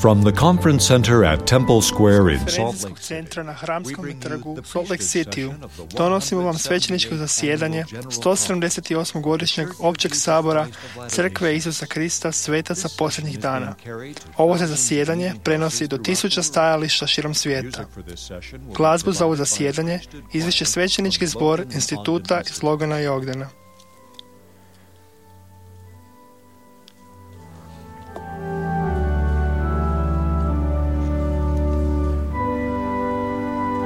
From the conference center at Temple Square in Salt Lake Konferencijskog centra na Hramskom trgu u Salt Lake Cityu donosimo vam svećeničko zasjedanje 178. godišnjeg općeg sabora Crkve Isusa Krista svetaca posljednjih dana. Ovo se zasjedanje prenosi do 1000 stajališta širom svijeta. Glazbu za ovo zasjedanje izvešće svećenički zbor instituta iz Logana i Ogdena.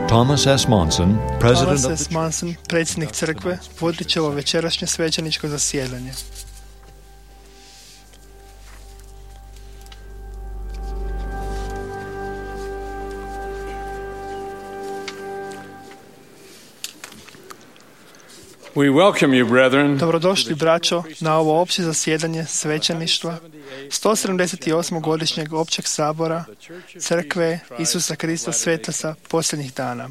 Thomas S. Monson, predsjednik crkve, vodit će ovo večerašnje svećeničko zasjedanje. We welcome you, brethren. Dobrodošli, braćo, na ovo opće zasjedanje svećeništva 178. godišnjeg općeg sabora Crkve Isusa Krista svetaca posljednjih dana.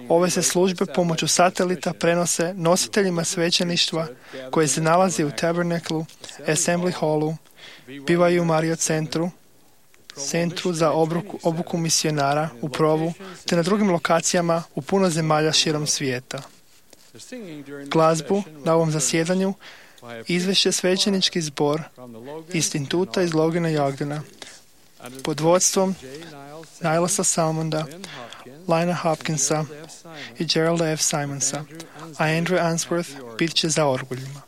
Ove se službe pomoću satelita prenose nositeljima svećeništva koji se nalazi u Tabernaklu, Assembly Hallu, bivaju u Mario centru za obuku misionara u Provu, te na drugim lokacijama u puno zemalja širom svijeta. Glazbu na ovom zasjedanju izvešće svećenički zbor instituta iz Logana i Ogdena pod vodstvom Nilesa Salmonda, Lina Hopkinsa i Geralda F. Simonsa, a Andrew Answorth bit će za orguljima.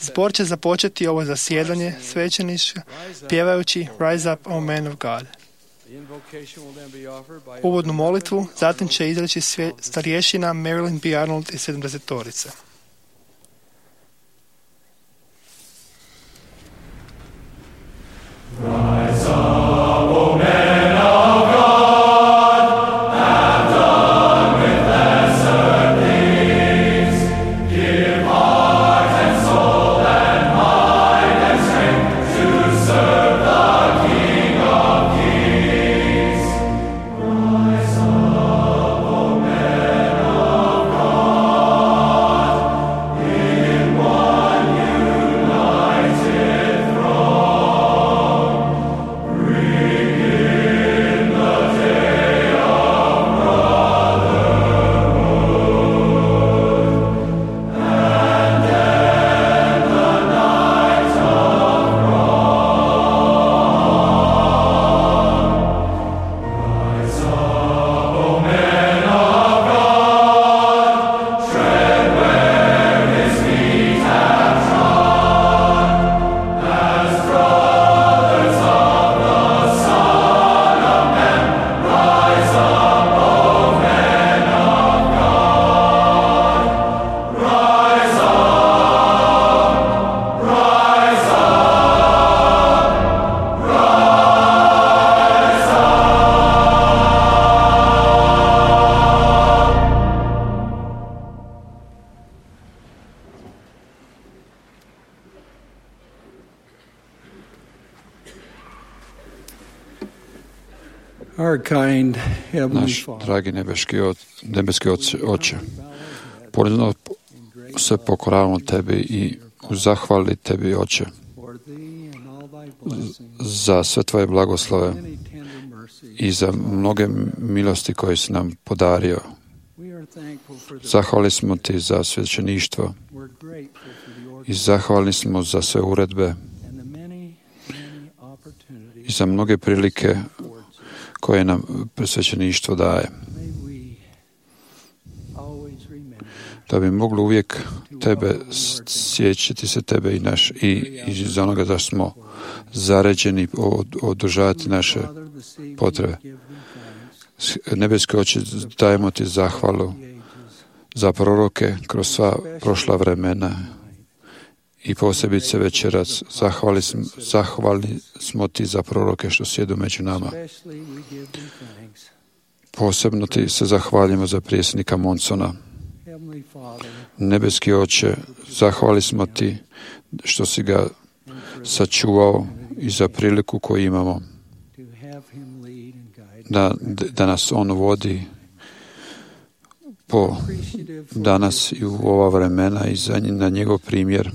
Zbor će započeti ovo zasjedanje svećenička pjevajući Rise Up, O Man of God. Uvodnu molitvu zatim će izreći starješina Marilyn B. Arnold iz 70-torice. Rise up, O men of God, have done with lesser things. Give heart and soul and mind and strength to serve the King of Kings. Rise up, O men of God, in one united throne. Bring in the day of brotherhood, and end the night of wrong. Rise up, O men of God, tread where His feet have trod, as brothers of the Son of Man. Rise up, O men of God. Rise up, rise up, rise Our kind Heavenly Naš Father, dragi nebeski Oče, ponizno se pokoravamo Tebi i u zahvali Tebi, Oče, for Thee and all Thy blessings, za sve Tvoje blagoslove many tender mercies. i za mnoge milosti koje si nam podario. We are thankful for the Zahvali smo Ti za svećeništvo We're grateful for the i order zahvalni smo za sve uredbe and the many opportunities i za mnoge prilike affords us. koje nam svećeništvo daje. May we always remember Da bi mogli uvijek Tebe sjećati se Tebe i za onoga da smo zaređeni održavati naše Father, the seed potrebe. give Thee thanks Nebeski Oče, dajemo Ti zahvalu the ages, za proroke kroz sva prošla vremena i posebice večeras zahvalni smo Ti za proroke što sjedu među nama. especially we give Thee thanks. Posebno Ti se zahvaljujemo za predsjednika Monsona. Heavenly Father, Nebeski Oče, zahvali smo Ti što si ga sačuvao i za priliku koju imamo to have him lead and guide. da nas on vodi po danas i u ova vremena i na njegov primjer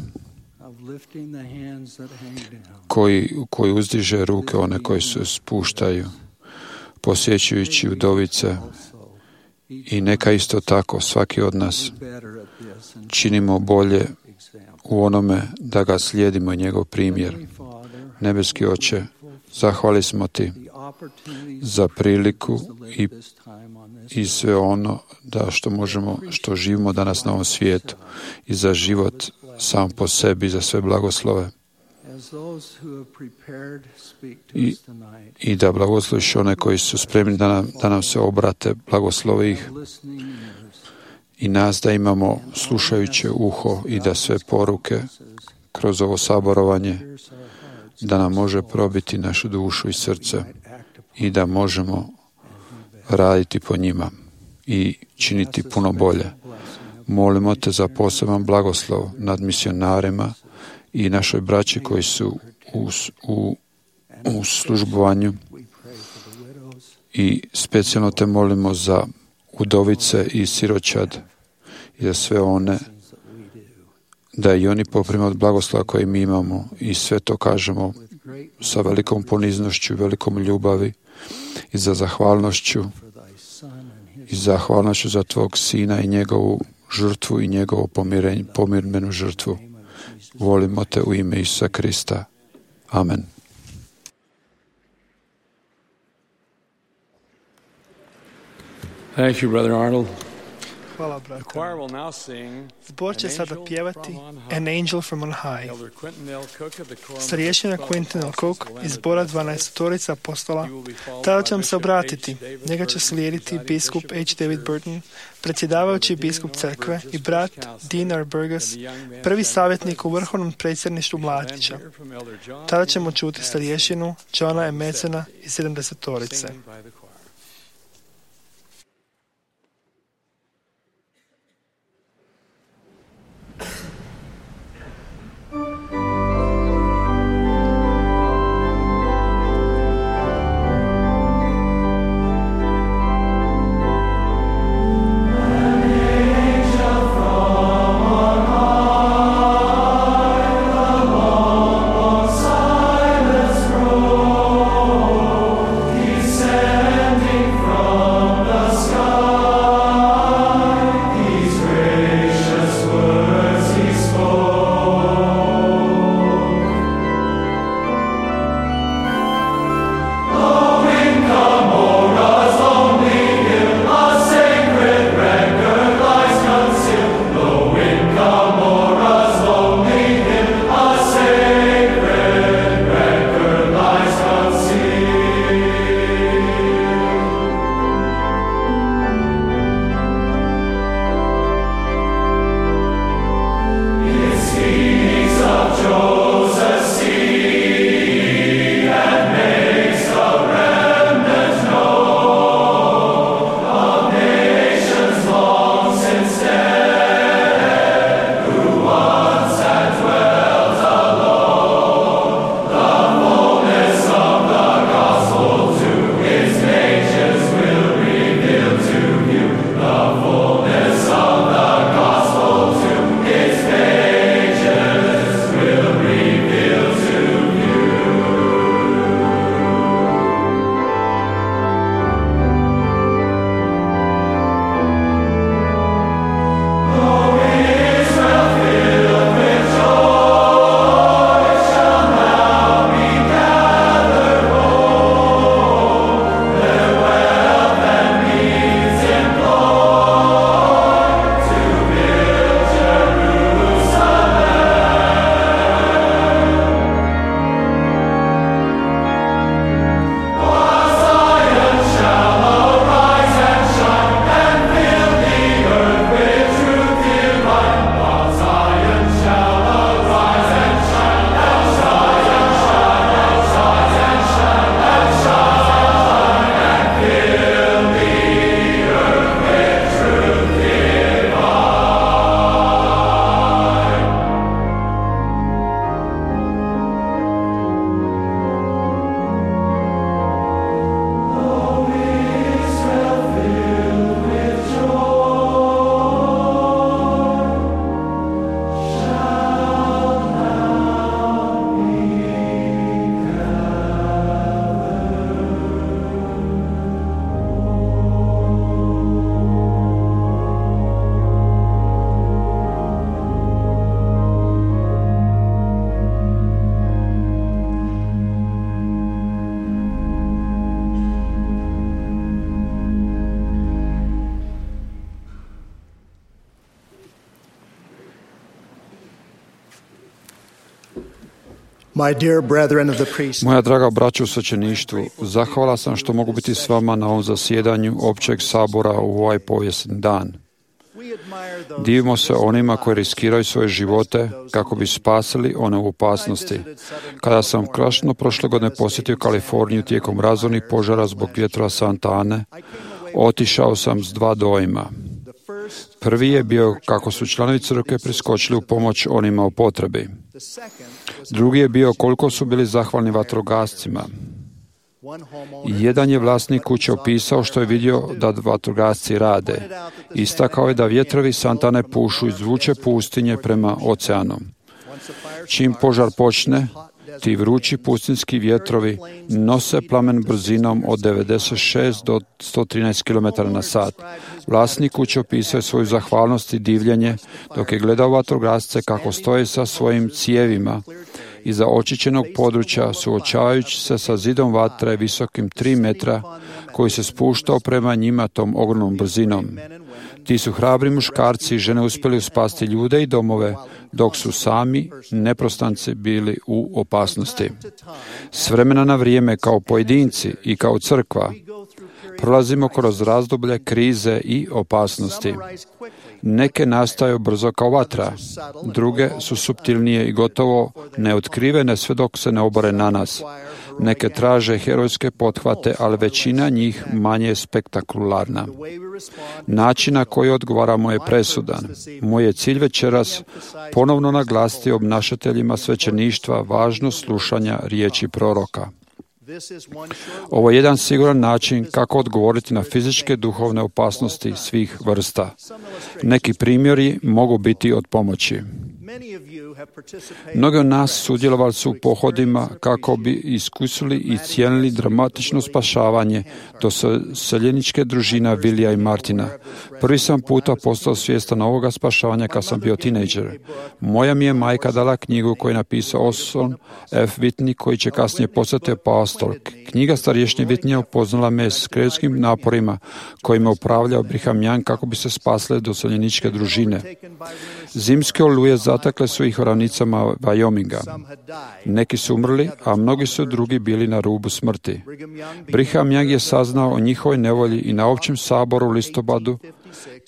koji uzdiže ruke one koji se spuštaju, posjećujući udovice, i neka isto tako svaki od nas činimo bolje u onome da ga slijedimo i njegov primjer. Nebeski Oče, zahvali smo Ti za priliku i sve ono što živimo danas na ovom svijetu, i za život sam po sebi, za sve blagoslove. I da blagosloviš one koji su spremni da nam se obrate, blagoslovi ih, i nas da imamo slušajuće uho i da sve poruke kroz ovo saborovanje da nam može probiti našu dušu i srce i da možemo raditi po njima i činiti puno bolje. Molimo Te za poseban blagoslov nad misionarima i našoj braći koji su u službovanju, i specijalno Te molimo za udovice i siročad i za sve one, da i oni poprime od blagoslova koje mi imamo, i sve to kažemo sa velikom poniznošću, velikom ljubavi i za zahvalnošću za Tvog Sina i njegovu žrtvu i njegovu pomirmenu žrtvu. Volimo Te u ime Isusa Krista. Amen. Thank you, Brother Arnold. Hvala, brate. Zbor će sada pjevati An Angel from on High. Starješina Quentin L. Cook iz zbora 12 apostola tada će vam se obratiti. Njega će slijediti biskup H. David Burton, predsjedavajući biskup crkve, i brat Dean R. Burgess, prvi savjetnik u vrhovnom predsjedništvu mladića. Tada ćemo čuti starješinu Johna M. Metzena iz 70-torice. Said Moja draga braćo u svećeništvu, zahvala sam što mogu biti s vama na ovom zasjedanju općeg sabora u ovaj povijesni dan. Divimo se onima koji riskiraju svoje živote kako bi spasili one u opasnosti. Kada sam krasno prošle godine posjetio Kaliforniju tijekom razornih požara zbog vjetrova Santa Ane, otišao sam s dva dojma. Prvi je bio kako su članovi crkve priskočili u pomoć onima u potrebi. Drugi je bio koliko su bili zahvalni vatrogascima. Jedan je vlasnik kuće opisao što je vidio da vatrogasci rade. Istakao je da vjetrovi Santa Ane pušu iz vruće pustinje prema oceanu. Čim požar počne, ti vrući pustinski vjetrovi nose plamen brzinom od 96 do 113 km na sat. Vlasnik kuće opisao svoju zahvalnost i divljenje dok je gledao vatrogasce kako stoje sa svojim cijevima iza očišćenog područja suočavajući se sa zidom vatre visokim 3 metra koji se spuštao prema njima tom ogromnom brzinom. Ti su hrabri muškarci i žene uspjeli spasti ljude i domove, dok su sami neprostanci bili u opasnosti. S vremena na vrijeme kao pojedinci i kao crkva prolazimo kroz razdoblje krize i opasnosti. Neke nastaju brzo kao vatra, druge su suptilnije i gotovo neotkrivene sve dok se ne obore na nas. Neke traže herojske pothvate, ali većina njih manje spektakularna. Način na koji odgovaramo je presudan. Moj je cilj večeras ponovno naglasiti obnašateljima svećeništva važnost slušanja riječi proroka. Ovo je jedan siguran način kako odgovoriti na fizičke duhovne opasnosti svih vrsta. Neki primjeri mogu biti od pomoći. Mnogi od nas sudjelovali su u pohodima kako bi iskusili i cijenili dramatično spašavanje doseljeničke družina Vilija i Martina. Prvi sam puta postao svjestan ovoga spašavanja kad sam bio tinejdžer. Moja mi je majka dala knjigu koju je napisao Orson F. Whitney, koji će kasnije postati apostol. Knjiga starješne Whitneya upoznala me s krevskim naporima kojima upravljao Brigham Young kako bi se spasle doseljeničke družine. Zimske oluje zatakle su ih u ravnicama Wyominga. Neki su umrli, a mnogi su drugi bili na rubu smrti. Brigham Young je saznao o njihovoj nevolji i na općem saboru u listopadu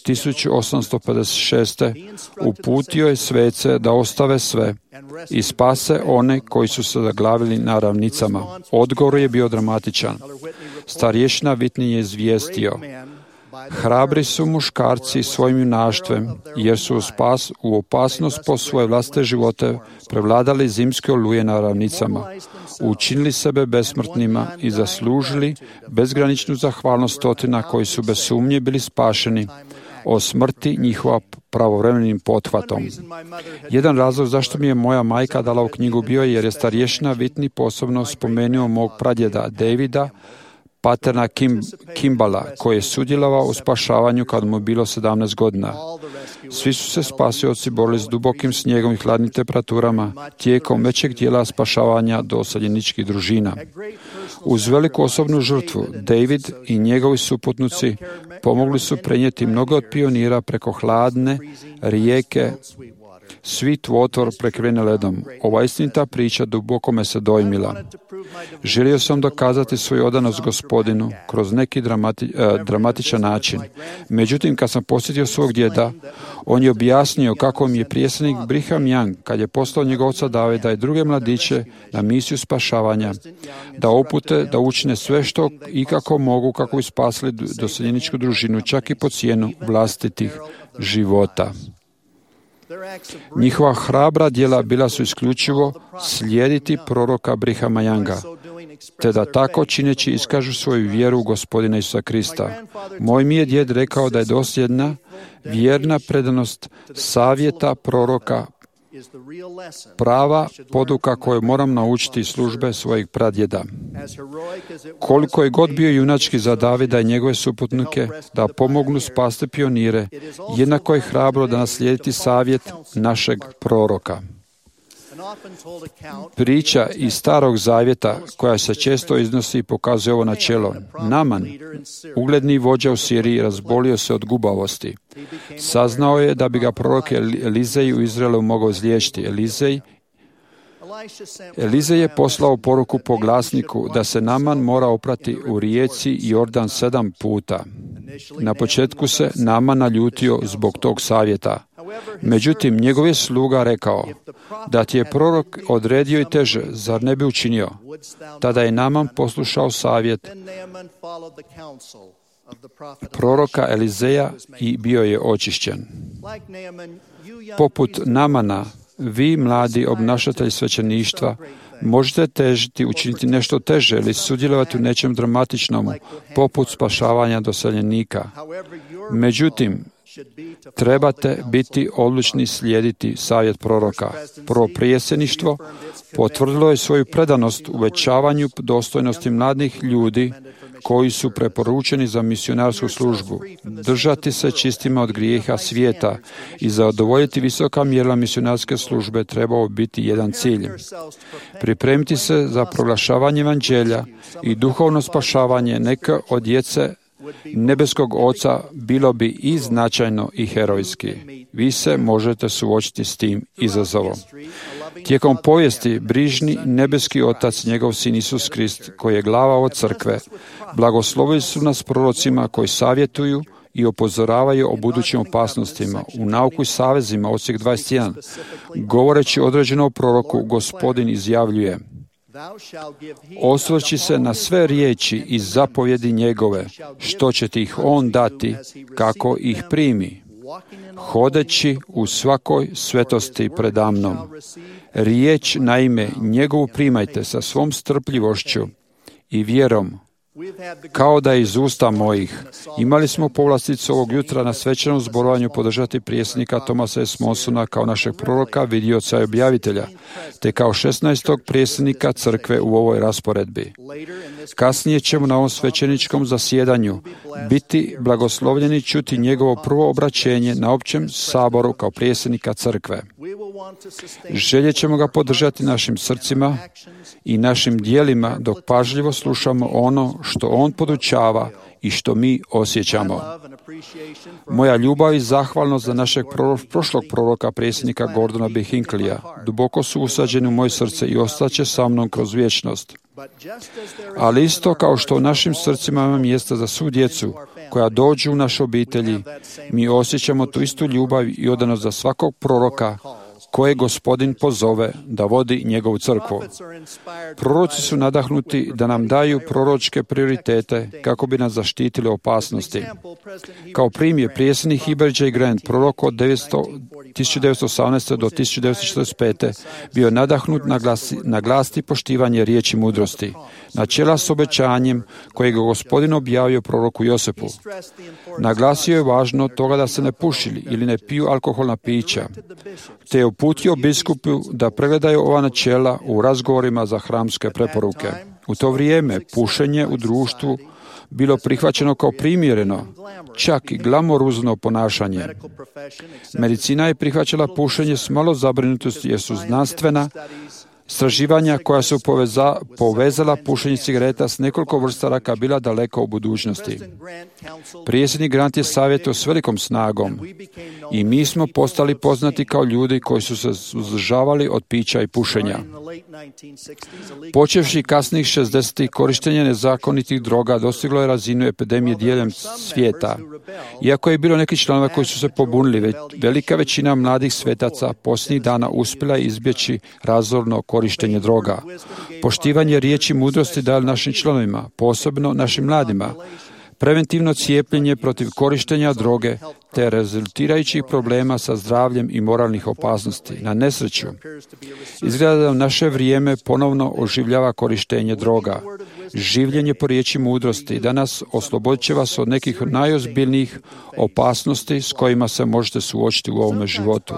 1856. uputio je svece da ostave sve i spase one koji su se zaglavili na ravnicama. Odgovor je bio dramatičan. Starješina Whitney je izvijestio: hrabri su muškarci svojim junaštvom, jer su u opasnost po svoje vlastite živote prevladali zimske oluje na ravnicama, učinili sebe besmrtnima i zaslužili bezgraničnu zahvalnost stotina koji su bez sumnje bili spašeni o smrti njihova pravovremenim pothvatom. Jedan razlog zašto mi je moja majka dala u knjigu bio jer je starješina Whitney posebno spomenuo mog pradjeda Davida, paterna Kimbala, koji je sudjelovao u spašavanju kad mu je bilo 17 godina. Svi su se spasioci borili s dubokim snijegom i hladnim temperaturama tijekom većeg dijela spašavanja doseljeničkih družina. Uz veliku osobnu žrtvu, David i njegovi suputnici pomogli su prenijeti mnogo od pionira preko hladne rijeke Sweetwater prekrivene ledom. Ova istinita priča duboko me se dojmila. Želio sam dokazati svoju odanost Gospodinu kroz neki dramatičan način. Međutim, kad sam posjetio svog djeda, on je objasnio kako mi je prijesednik Brigham Young, kad je poslao njegovca Davida i druge mladiće na misiju spašavanja, da upute da učine sve što i kako mogu kako bi spasili doseljeničku družinu, čak i po cijenu vlastitih života. Njihova hrabra djela bila su isključivo slijediti proroka Brighama Younga, te da tako čineći iskažu svoju vjeru u Gospodina Isusa Krista. Moj mi je djed rekao da je dosljedna, vjerna predanost savjeta proroka prava poduka koju moram naučiti iz službe svojih pradjeda. Koliko je god bio junački za Davida i njegove suputnike da pomognu spasti pionire, jednako je hrabro da naslijediti savjet našeg proroka. Priča iz Starog zavjeta koja se često iznosi pokazuje ovo načelo. Naman, ugledni vođa u Siriji, razbolio se od gubavosti. Saznao je da bi ga prorok Elizej u Izraelu mogao izliječiti. Elizej Elize je poslao poruku po glasniku da se Naman mora oprati u rijeci Jordan 7 puta. Na početku se Naman naljutio zbog tog savjeta. Međutim, njegov je sluga rekao, da ti je prorok odredio i teže, zar ne bi učinio? Tada je Naman poslušao savjet proroka Elizeja i bio je očišćen. Poput Namana, vi, mladi obnašatelji svećeništva, možete težiti učiniti nešto teže ili sudjelovati u nečem dramatičnom, poput spašavanja doseljenika. Međutim, trebate biti odlučni slijediti savjet proroka. Prvo prijeseništvo potvrdilo je svoju predanost uvećavanju dostojnosti mladih ljudi koji su preporučeni za misionarsku službu, držati se čistima od grijeha svijeta i zadovoljiti visoka mjerila misionarske službe trebao biti jedan cilj. Pripremiti se za proglašavanje evanđelja i duhovno spašavanje neke od djece nebeskog Oca bilo bi i značajno i herojski. Vi se možete suočiti s tim izazovom. Tijekom povijesti brižni nebeski Otac, njegov Sin Isus Krist, koji je glava od crkve, blagoslovili su nas prorocima koji savjetuju i upozoravaju o budućim opasnostima. U nauku i savezima, odsjek 21, govoreći određenom proroku, Gospodin izjavljuje: osvrći se na sve riječi i zapovjedi njegove, što će ti ih on dati, kako ih primi, hodeći u svakoj svetosti predamnom. Riječ, naime, njegovu primajte sa svom strpljivošću i vjerom, kao da je iz usta mojih. Imali smo povlasticu ovog jutra na svečanom zborovanju podržati prijesnika Thomasa S. Monsona kao našeg proroka, vidioca i objavitelja, te kao 16. prijesnika crkve u ovoj rasporedbi. Kasnije ćemo na ovom svećeničkom zasjedanju biti blagoslovljeni čuti njegovo prvo obraćenje na općem saboru kao prijesnika crkve. Željet ćemo ga podržati našim srcima i našim dijelima dok pažljivo slušamo ono što on podučava i što mi osjećamo. Moja ljubav i zahvalnost za našeg prošlog proroka, predsjednika Gordona B. Hinckleyja, duboko su usađeni u moje srce i ostaće sa mnom kroz vječnost. Ali isto kao što u našim srcima ima mjesta za svu djecu koja dođu u naše obitelji, mi osjećamo tu istu ljubav i odanost za svakog proroka koje Gospodin pozove da vodi njegovu crkvu. Proroci su nadahnuti da nam daju proročke prioritete kako bi nas zaštitili opasnosti. Kao primjer, prijesnik Heber J. Grant, prorok od 1918. do 1945. bio nadahnut naglasiti poštivanje riječi mudrosti, načela s obećanjem kojeg je Gospodin objavio proroku Josepu. Naglasio je važno toga da se ne puši ili ne piju alkoholna pića, te je uputio biskupu da pregledaju ova načela u razgovorima za hramske preporuke. U to vrijeme pušenje u društvu bilo prihvaćeno kao primjereno, čak i glamoruzno ponašanje. Medicina je prihvaćala pušenje s malo zabrinutosti jer su znanstvena istraživanja koja su povezala pušenje cigareta s nekoliko vrsta raka bila daleko u budućnosti. Predsjednik Grant je savjetao s velikom snagom i mi smo postali poznati kao ljudi koji su se suzdržavali od pića i pušenja. Počevši kasnih 60-ih, korištenje nezakonitih droga dostiglo je razinu epidemije diljem svijeta. Iako je bilo neki članova koji su se pobunili, velika većina mladih svetaca posljednjih dana uspjela je izbjeći razorno korištenje droga. Poštivanje riječi mudrosti dali našim članovima, posebno našim mladima, preventivno cijepljenje protiv korištenja droge te rezultirajućih problema sa zdravljem i moralnih opasnosti. Na nesreću, izgleda da u naše vrijeme ponovno oživljava korištenje droga. Življenje po riječi mudrosti danas oslobodit će vas od nekih najozbiljnijih opasnosti s kojima se možete suočiti u ovome životu.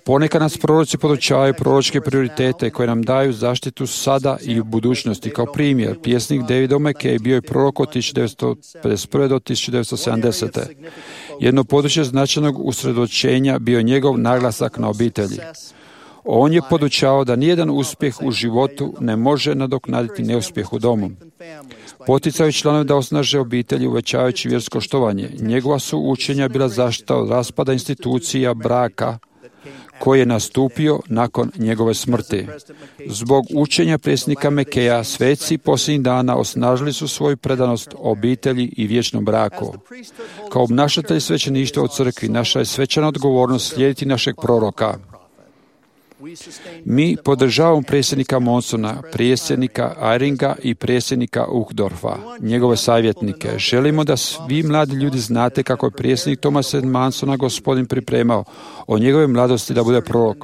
Ponekad nas proroci podučavaju proročke prioritete koje nam daju zaštitu sada i u budućnosti. Kao primjer, pjesnik David O'Mackey bio je prorok od 1951. do 1970. Jedno područje značajnog usredočenja bio njegov naglasak na obitelji. On je podučavao da nijedan uspjeh u životu ne može nadoknaditi neuspjeh u domu. Poticao je članove da osnaže obitelji uvećavajući vjersko štovanje. Njegova su učenja bila zaštita od raspada institucija braka koji je nastupio nakon njegove smrti. Zbog učenja predsjednika Mekeja, sveci posljednjih dana osnažili su svoju predanost obitelji i vječnom braku. Kao obnašatelji svećeništva u crkvi, naša je svečana odgovornost slijediti našeg proroka. Mi podržavamo predsjednika Monsona, predsjednika Eyringa i predsjednika Uchtdorfa, njegove savjetnike. Želimo da svi mladi ljudi znate kako je predsjednik Thomas Mansona Gospodin pripremao o njegove mladosti da bude prorok.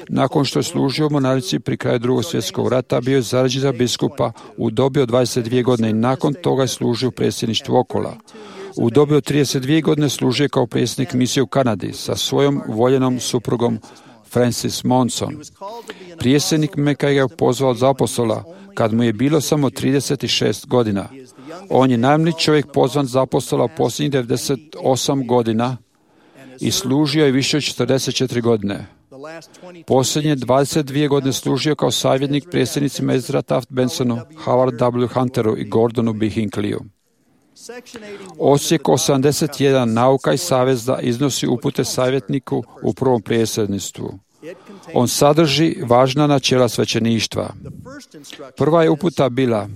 Nakon što je služio u mornarici pri kraju Drugog svjetskog rata, bio je zarađen za biskupa u dobi od 22 godine i nakon toga je služio u predsjedništvu okola. U dobi od 32 godine služio kao predsjednik misije u Kanadi sa svojom voljenom suprugom Francis Monson. Predsjednik Mekaj ga je pozvao za apostola kad mu je bilo samo 36 godina. On je najmlađi čovjek pozvan za apostola u posljednjih 98 godina i služio je više od 44 godine. Posljednje 22 godine služio kao savjetnik predsjednicima Ezra Taft Bensonu, Howard W. Hunteru i Gordonu B. Hinckleyju. Odsjek 81 Nauka i saveza iznosi upute savjetniku u prvom predsjedništvu. On sadrži važna načela svećeništva. Prva je uputa bila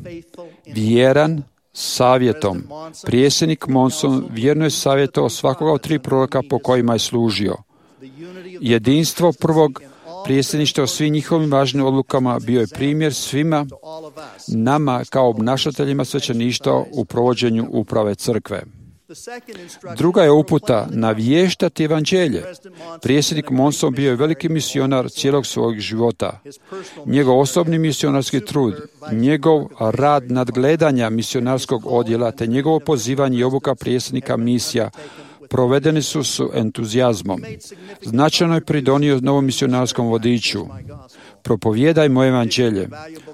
vjeran savjetom. Predsjednik Monson vjerno je savjetovao svakoga od 3 proroka po kojima je služio. Jedinstvo prvog predsjedništva o svim njihovim važnim odlukama bio je primjer svima nama kao obnašateljima svećeništva u provođenju uprave crkve. Druga je uputa navještati evanđelje. Predsjednik Monson bio je veliki misionar cijelog svog života. Njegov osobni misionarski trud, njegov rad nadgledanja misionarskog odjela te njegovo pozivanje i obuka predsjednika misija provedeni su s entuzijazmom. Značajno je pridonio novom misionarskom vodiču. Propovijedaj moje evanđelje.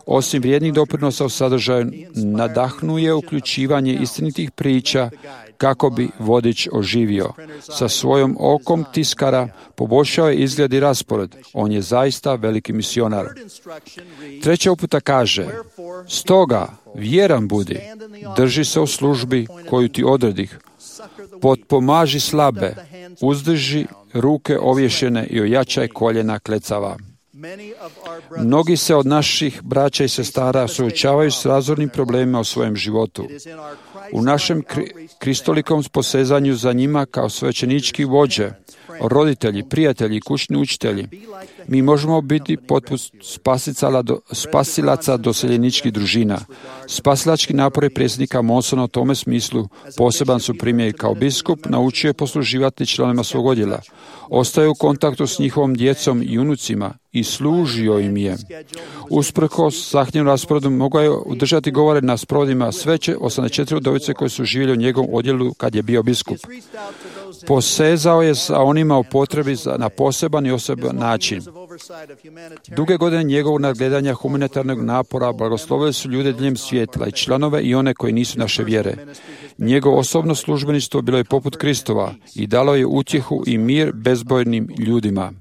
Osim vrijednih doprinosa u sadržaju, nadahnuje uključivanje istinitih priča kako bi vodič oživio. Sa svojom okom tiskara poboljšao je izgled i raspored. On je zaista veliki misionar. Treća uputa kaže, stoga vjeran budi, drži se u službi koju ti odredih, potpomaži slabe, uzdrži ruke ovješene i ojačaj koljena klecava. Mnogi se od naših braća i sestara suočavaju s razornim problemima u svojem životu. U našem kristolikom posezanju za njima kao svećenički vođe, roditelji, prijatelji, kućni učitelji, mi možemo biti poput spasilaca doseljeničkih družina. Spasilački napori predsjednika Monsona u tome smislu poseban su primjer. Kao biskup naučio je posluživati članovima svog odjela. Ostaje u kontaktu s njihovom djecom i unucima i služio im je. Usprkos zahtjevnom rasporedu mogao je održati govore na sprovodima sveće 84 udovice koje su živjeli u njegovom odjelu kad je bio biskup. Posezao je za onima u potrebi na poseban i osoban način. Duge godine njegovog nadgledanja humanitarnog napora blagoslovili su ljude diljem svijeta i članove i one koji nisu naše vjere. Njegovo osobno službeništvo bilo je poput Kristova i dalo je utjehu i mir bezbojnim ljudima.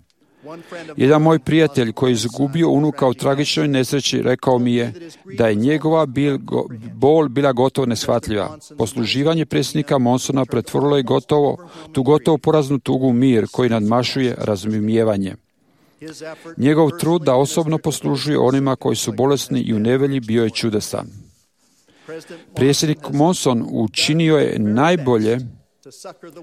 Jedan moj prijatelj koji je izgubio unuka u tragičnoj nesreći rekao mi je da je njegova bol bila gotovo neshvatljiva. Posluživanje predsjednika Monsona pretvorilo je tu gotovo poraznu tugu u mir koji nadmašuje razumijevanje. Njegov trud da osobno poslužuje onima koji su bolesni i u nevolji bio je čudesan. Predsjednik Monson učinio je najbolje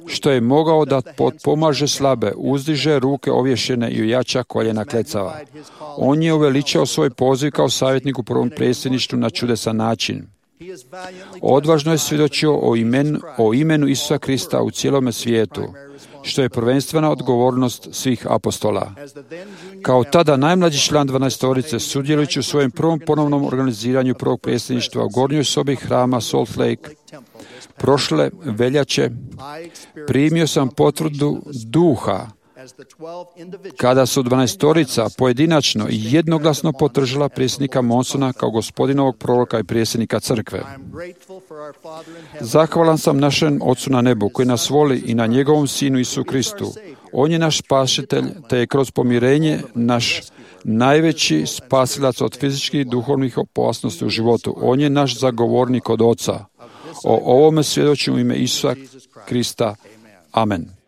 što je mogao da potpomaže slabe, uzdiže ruke ovješene i ojača koljena klecava. On je uveličao svoj poziv kao savjetnik u prvom predsjedništvu na čudesan način. Odvažno je svjedočio o imenu Isusa Krista u cijelome svijetu, što je prvenstvena odgovornost svih apostola. Kao tada najmlađi član 12-torice, sudjelujući u svojem prvom ponovnom organiziranju prvog predsjedništva u gornjoj sobi hrama Salt Lake, prošle veljače primio sam potvrdu duha kada su 12-torica pojedinačno i jednoglasno podržala predsjednika Monsona kao gospodinovog proroka i predsjednika crkve. Zahvalan sam našem Ocu na nebu koji nas voli i na njegovom Sinu Isu Kristu. On je naš spasitelj, te je kroz pomirenje naš najveći spasilac od fizičkih i duhovnih opasnosti u životu. On je naš zagovornik od Oca. O ovome svjedočim u ime Isusa Krista. Amen.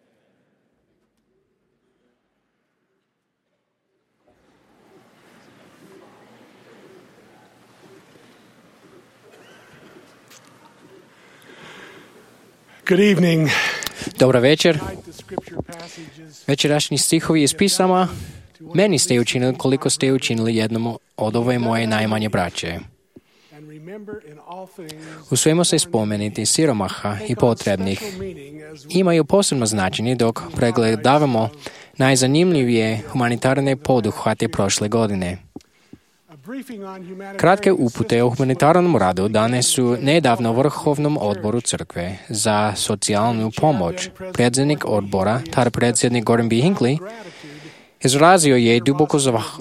Good evening. Dobro večer. Večerašnji stihovi iz pisama meni ste učinili koliko ste učinili jednom od ove moje najmanje braće. U svemu se spomenuti siromaha i potrebnih imaju posebno značenje dok pregledavamo najzanimljivije humanitarne poduhvate prošle godine. Kratke upute o humanitarnom radu dane su nedavno Vrhovnom odboru crkve za socijalnu pomoć. Predsjednik odbora, tar predsjednik Gordon B. Hinckley, izrazio je duboku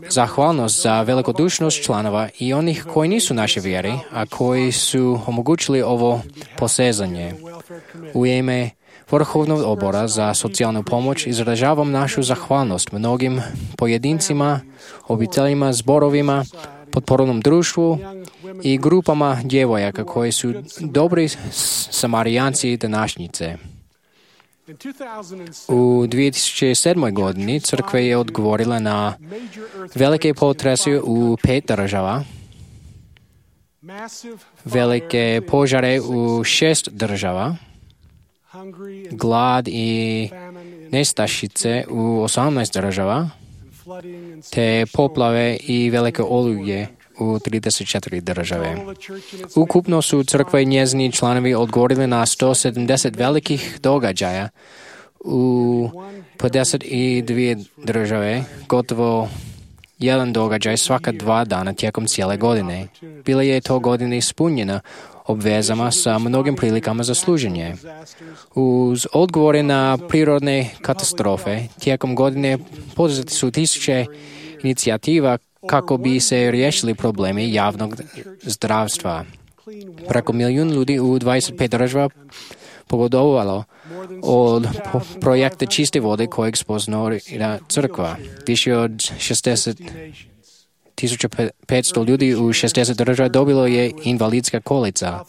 zahvalnost za velikodušnost članova i onih koji nisu naše vjeri, a koji su omogućili ovo posezanje. U ime Vrhovnog odbora za socijalnu pomoć izražavam našu zahvalnost mnogim pojedincima, obiteljima, zborovima, potpornom društvu i grupama djevojaka koji su dobri samarijanci današnjice. U 2007. godini crkva je odgovorila na velike potrese u 5 država, velike požare u 6 država, glad i nestašice u 18 država, te poplave i velike oluje u 34 države. Ukupno su crkva i njezini članovi odgovorili na 170 velikih događaja u 52 države, gotovo jedan događaj svaka 2 dana tijekom cijele godine. Bila je to godina ispunjena obvezama sa mnogim prilikama za služenje. Uz odgovore na prirodne katastrofe, tijekom godine poduzeti su tisuće inicijativa kako bi se riješili problemi javnog zdravstva. Preko 1 milijun ljudi u 25 država pogodovalo od projekta čiste vode kojeg sponzorira crkva. Više od 60.500 ljudi u 60 država dobilo je invalidska kolica.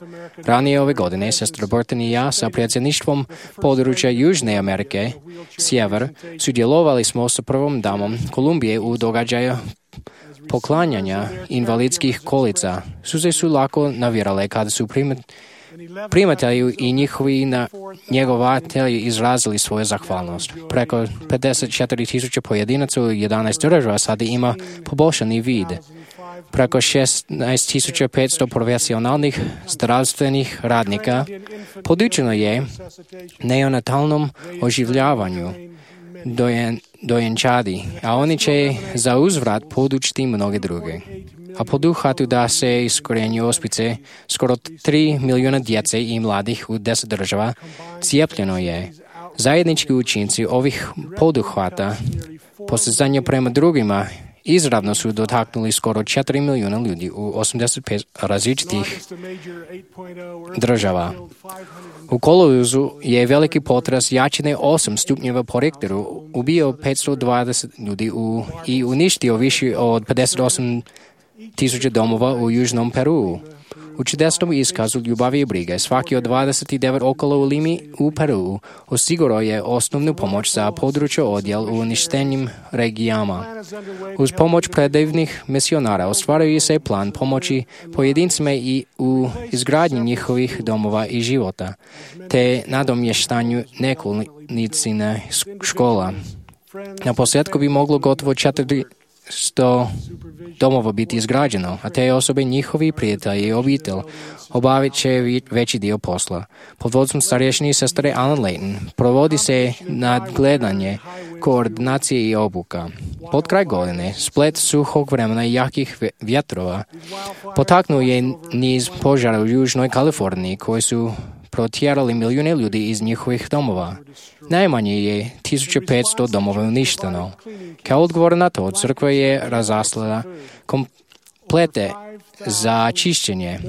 Ranije ove godine sestra Burton i ja sa predsjedništvom područja Južne Amerike, Sjever, sudjelovali smo sa prvom damom Kolumbije u događaju poklanjanja invalidskih kolica. Suze su lako navirale kada su primatelji i njihovi njegovatelji izrazili svoju zahvalnost. Preko 54.000 pojedinaca u 11 država sada ima poboljšani vid. Preko 16.500 profesionalnih zdravstvenih radnika podučeno je neonatalnom oživljavanju dojenčadi, a oni će za uzvrat podučiti mnoge druge. A poduhvatu da se iskorijenju ospice skoro 3 milijuna djece i mladih u 10 država cijepljeno je. Zajednički učinci ovih poduhvata, postizanje prema drugima, izravno su dotaknuli skoro 4 milijuna ljudi u 85 različitih država. U kolovozu je veliki potres jačine 8 stupnjeva po Richteru ubio 520 ljudi i uništio više od 58.000 domova u Južnom Peruu. U čudesnom iskazu ljubavi i brige svaki od 29 okolo u Limi u Peruu osigurao je osnovnu pomoć za područje odjel u uništenim regijama. Uz pomoć predivnih misionara ostvaruje se plan pomoći pojedincima i u izgradnji njihovih domova i života, te nadomještanju nekolicine škola. Na posljedku bi moglo gotovo 400 domova biti izgrađeno, a te osobe, njihovi prijatelji i obitelj obavit će veći dio posla. Pod vodstvom starješine sestre Alan Layton provodi se nadgledanje, koordinacije i obuka. Pod kraj godine, splet suhog vremena i jakih vjetrova potaknuo je niz požara u Južnoj Kaliforniji koji su protjerali milijune ljudi iz njihovih domova. Najmanje je 1500 domova uništeno. Kao odgovor na to, crkva je razaslala komplete za čišćenje,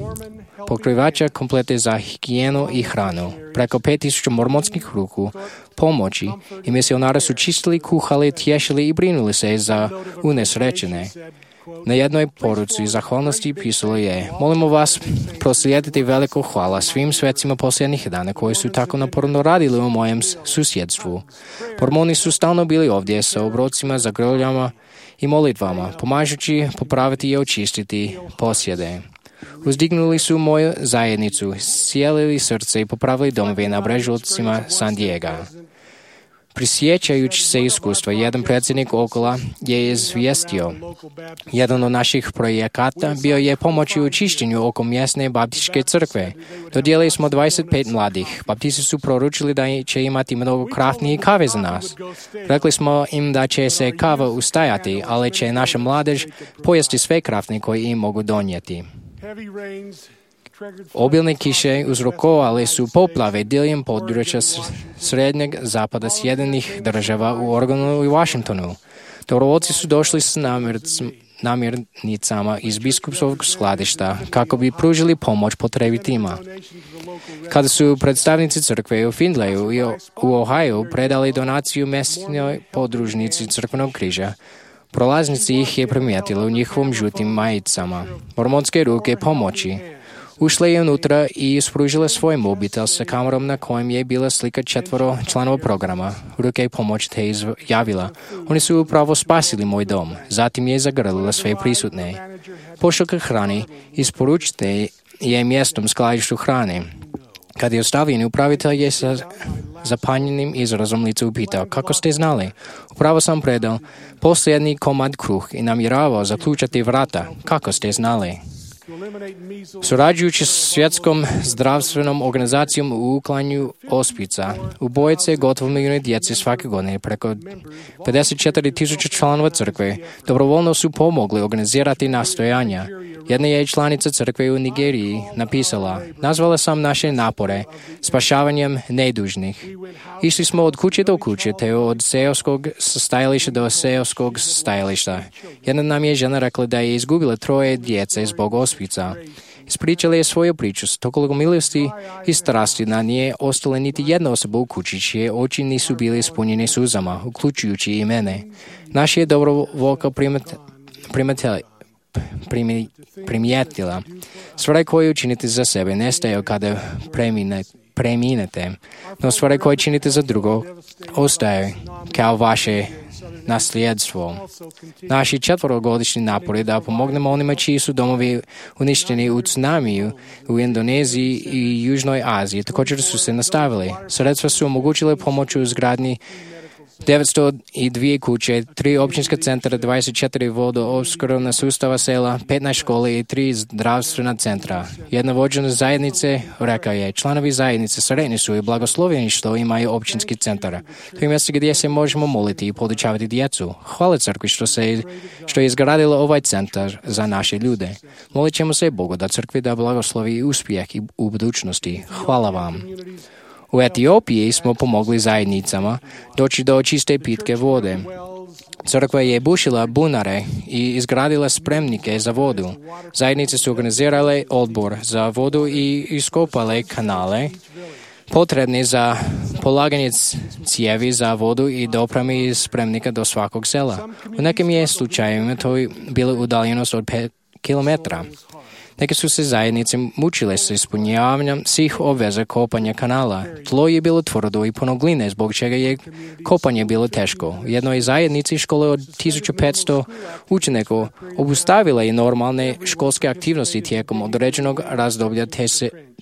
pokrivača komplete za higijenu i hranu. Preko 5000 mormonskih ruku pomoći i misionari su čistili, kuhali, tješili i brinuli se za unesrećene. Na jednoj poruci zahvalnosti pisalo je: molimo vas proslijediti veliko hvala svim svecima posljednjih dana koji su tako naporno radili u mojem susjedstvu. Mormoni su stalno bili ovdje sa obrocima, zagrljama i molitvama, pomažući popraviti i očistiti posjede. Uzdignuli su moju zajednicu, sjelili srce i popravili domove na brežucima San Diega. Prisjećajući se iskustva, jedan predsjednik Okola je izvijestio. Jedan od naših projekata bio je pomoći u čišćenju oko mjesne baptističke crkve. Dodijelili smo 25 mladih. Baptisti su poručili da će imati mnogo kraftnije kave za nas. Rekli smo im da će se kava ustajati, ali će naša mladež pojesti sve kraftne koje im mogu donijeti. Obilne kiše uzrokovali su poplave diljem područja srednjeg zapada Sjedinjenih država u Oregonu i Washingtonu. Dobrovoljci su došli s namirnicama iz biskupskog skladišta kako bi pružili pomoć potrebitima. Kada su predstavnici crkve u Findlayu i u Ohio predali donaciju mjesnoj podružnici crkvenog križa, prolaznici ih je primijetili u njihovom žutim majicama. Mormonske ruke pomoći ušle je unutra i ispružile svoj mobitel sa kamerom na kojem je bila slika 4 članova programa. Ruke pomoć te izjavila: oni su upravo spasili moj dom. Zatim je zagrlila sve prisutne. Pošiljka hrane isporučite je mjestom skladištu hrane. Kad je ostavljen, upravitelj je sa zapanjenim izrazom lica upitao: kako ste znali? Upravo sam predao posljednji komad kruh i namjeravao zaključati vrata. Kako ste znali? Surađujući s Svjetskom zdravstvenom organizacijom u uklanju ospica, ubojice gotovo milijune djece svake godine, preko 54,000 članova crkve, dobrovoljno su pomogli organizirati nastojanja. Jedna je članica crkve u Nigeriji napisala: nazvala sam naše napore spašavanjem nedužnih. Išli smo od kuće do kuće, te od seoskog stajališta do seoskog stajališta. Jedna nam je žena rekla da je izgubila 3 djece zbog ospica. Ispričala je svoju priču s toliko milosti i strasti da nije ostala niti jedna osoba u kući čije oči nisu bili ispunjene suzama, uključujući i mene. Naš je dobrovoljka primijetila: stvari koje učinite za sebe nestaju kada preminete, no stvari koje činite za drugo ostaju kao vaše nasljedstvo. Naši 4-godišnji napori da pomognemo onima čiji su domovi uništeni u tsunamiju u Indoneziji i Južnoj Aziji također su se nastavili. Sredstva su omogućile pomoć u izgradnji 902 kuće, 3 općinska centra, 24 vodoopskrbna sustava sela, 15 škole i 3 zdravstvena centra. Jedna vođena zajednice rekao je: članovi zajednice sretni su i blagoslovljeni što imaju općinski centar. To je mjesto gdje se možemo moliti i podučavati djecu. Hvala crkvi što je izgradila ovaj centar za naše ljude. Molit ćemo se Bogu da crkvi da blagoslovi i uspjeh i u budućnosti. Hvala vam. U Etiopiji smo pomogli zajednicama doći do čiste pitke vode. Crkva je bušila bunare i izgradila spremnike za vodu. Zajednice su organizirale odbor za vodu i iskopale kanale potrebni za polaganje cijevi za vodu i dopremi iz spremnika do svakog sela. U nekim je slučajevima to bila udaljenost od 5 kilometra. Neke su se zajednice mučile sa ispunjavanjem svih obveza kopanja kanala. Tlo je bilo tvrdo i puno gline, zbog čega je kopanje bilo teško. U jednoj zajednici škole od 1500 učenika obustavila je normalne školske aktivnosti tijekom određenog razdoblja,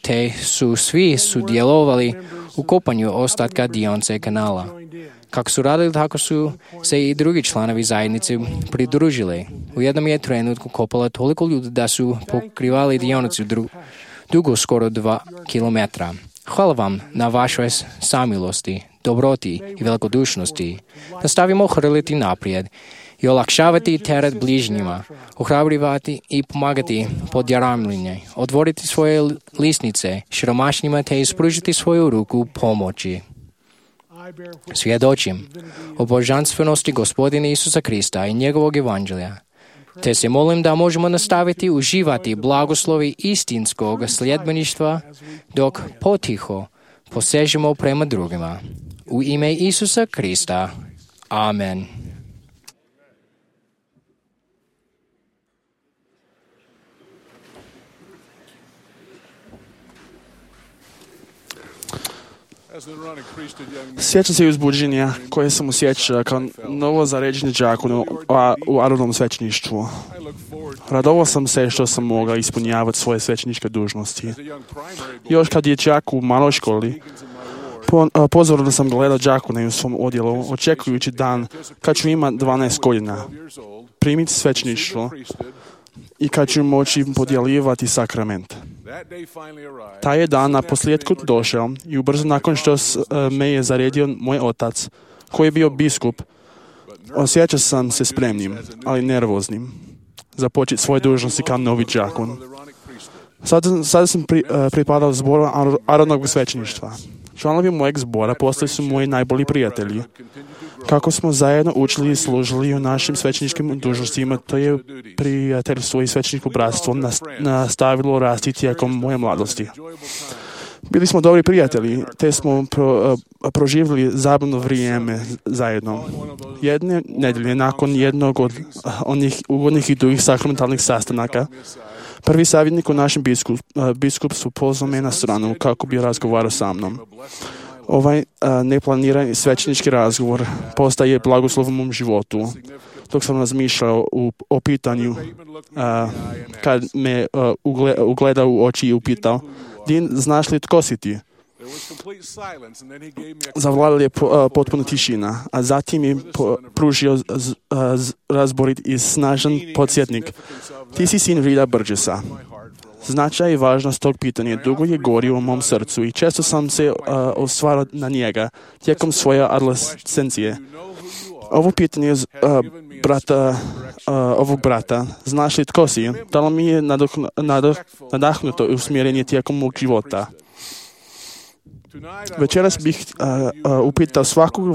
te su svi sudjelovali u kopanju ostatka dionice kanala. Kako su radili, tako su se i drugi članovi zajednice pridružili. U jednom je trenutku kopala toliko ljudi da su pokrivali dionicu dugo skoro 2 kilometra. Hvala vam na vašoj samilosti, dobroti i velikodušnosti. Nastavimo hrliti naprijed i olakšavati teret bližnjima, ohrabrivati i pomagati podjaramljenje, otvoriti svoje lisnice siromašnima te ispružiti svoju ruku pomoći. Svjedočim o božanstvenosti Gospodina Isusa Krista i njegovog evanđelja, te se molim da možemo nastaviti uživati blagoslovi istinskog sljedbeništva dok potiho posežemo prema drugima. U ime Isusa Krista. Amen. Sjećam se uzbuđenja koje sam osjećao kao novo zaređeni đak u Aronovnom svećeništvu. Radovao sam se što sam mogao ispunjavati svoje svećeničke dužnosti. Još kad je đak u maloj školi, pozorno sam gledao đakone u svom odjelu, očekujući dan kad ću imati 12 godina, primiti svećeništvo i kad ću moći podjeljivati sakrament. Taj je dan na posljedku došao i ubrzo nakon što me je zaredio moj otac, koji je bio biskup, osjećao sam se spremnim, ali nervoznim, započeti svoje dužnosti kao novi đakon. Sada sam pripadao zboru Aaronovog svećeništva. Članovi mojeg zbora postali su moji najbolji prijatelji. Kako smo zajedno učili i služili u našim svećeničkim dužnostima, to je prijateljstvo i svećeničko bratstvo nastavilo rasti tijekom moje mladosti. Bili smo dobri prijatelji, te smo proživjeli zabavno vrijeme zajedno. Jedne nedjelje nakon jednog od onih ugodnih i dugih sakramentalnih sastanaka, prvi savjetnik u našem biskupstvu pozvao me na stranu kako bi razgovarao sa mnom. Ovaj neplanirani svećenički razgovor postaje blagoslovom u mom životu. Dok sam razmišljao o pitanju, kad me ugledao u oči i upitao, Din, znaš li tko si ti? Zavladala je potpuna tišina, a zatim je pružio razborit i snažan podsjetnik. Ti si sin Rida Burgessa. Značaj i važnost tog pitanja dugo je gorio u mom srcu i često sam se osvarao na njega tijekom svoje adolescencije. Ovo pitanje ovog brata, znaš li tko si, dalo mi je nadahnuto usmjerenje tijekom mog života. Večeras bih upitao svakog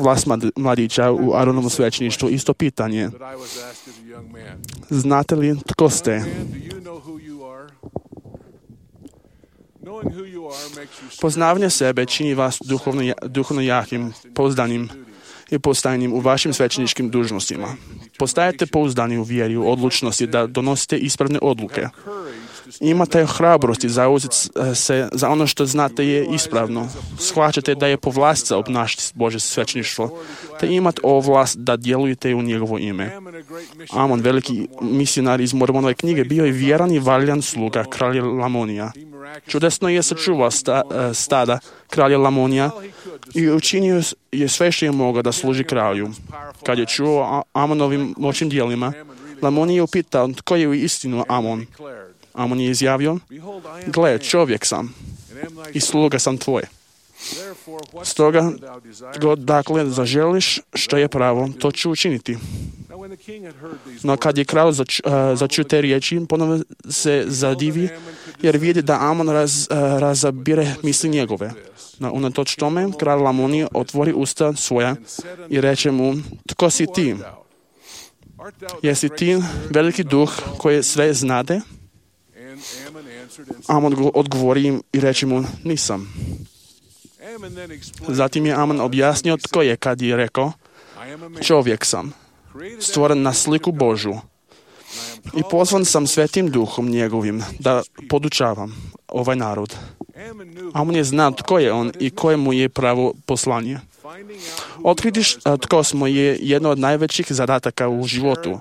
mladića u Aaronovom svećeništvu isto pitanje. Znate li tko ste? Poznavanje sebe čini vas duhovno jakim, pouzdanim i postojanjem u vašim svećeničkim dužnostima. Postajete pouzdani u vjeri, u odlučnosti da donosite ispravne odluke. Imate hrabrosti zauzeti se za ono što znate je ispravno. Shvaćate da je po vlasti za obnašati Božje svećeništvo, te imate ovlast da djelujete u njegovo ime. Amon, veliki misionar iz Mormonove knjige, bio je vjeran i valjan sluga kralja Lamonija. Čudesno je sačuvao stada kralja Lamonija i učinio je sve što je mogao da služi kralju. Kad je čuo o Amonovim moćnim djelima, Lamonija je upitao tko je u istinu Amon. Amon je izjavio, gle, čovjek sam i sluga sam tvoj. Stoga, dakle, zaželiš što je pravo, to ću učiniti. No kad je kralj začuo te riječi, ponovno se zadivi, jer vidi da Amon razabire misli njegove. No, unatoč tome, kralj Lamonija otvori usta svoja i reče mu, tko si ti? Jesi ti veliki duh koji sve znade? Amon odgovori im i reče mu, nisam. Zatim je Amon objasnio tko je kad je rekao, čovjek sam, stvoren na sliku Božju i pozvan sam svetim duhom njegovim da podučavam ovaj narod. Amon je znao tko je on i koje mu je pravo poslanje. Otkriti tko smo je jedno od najvećih zadataka u životu.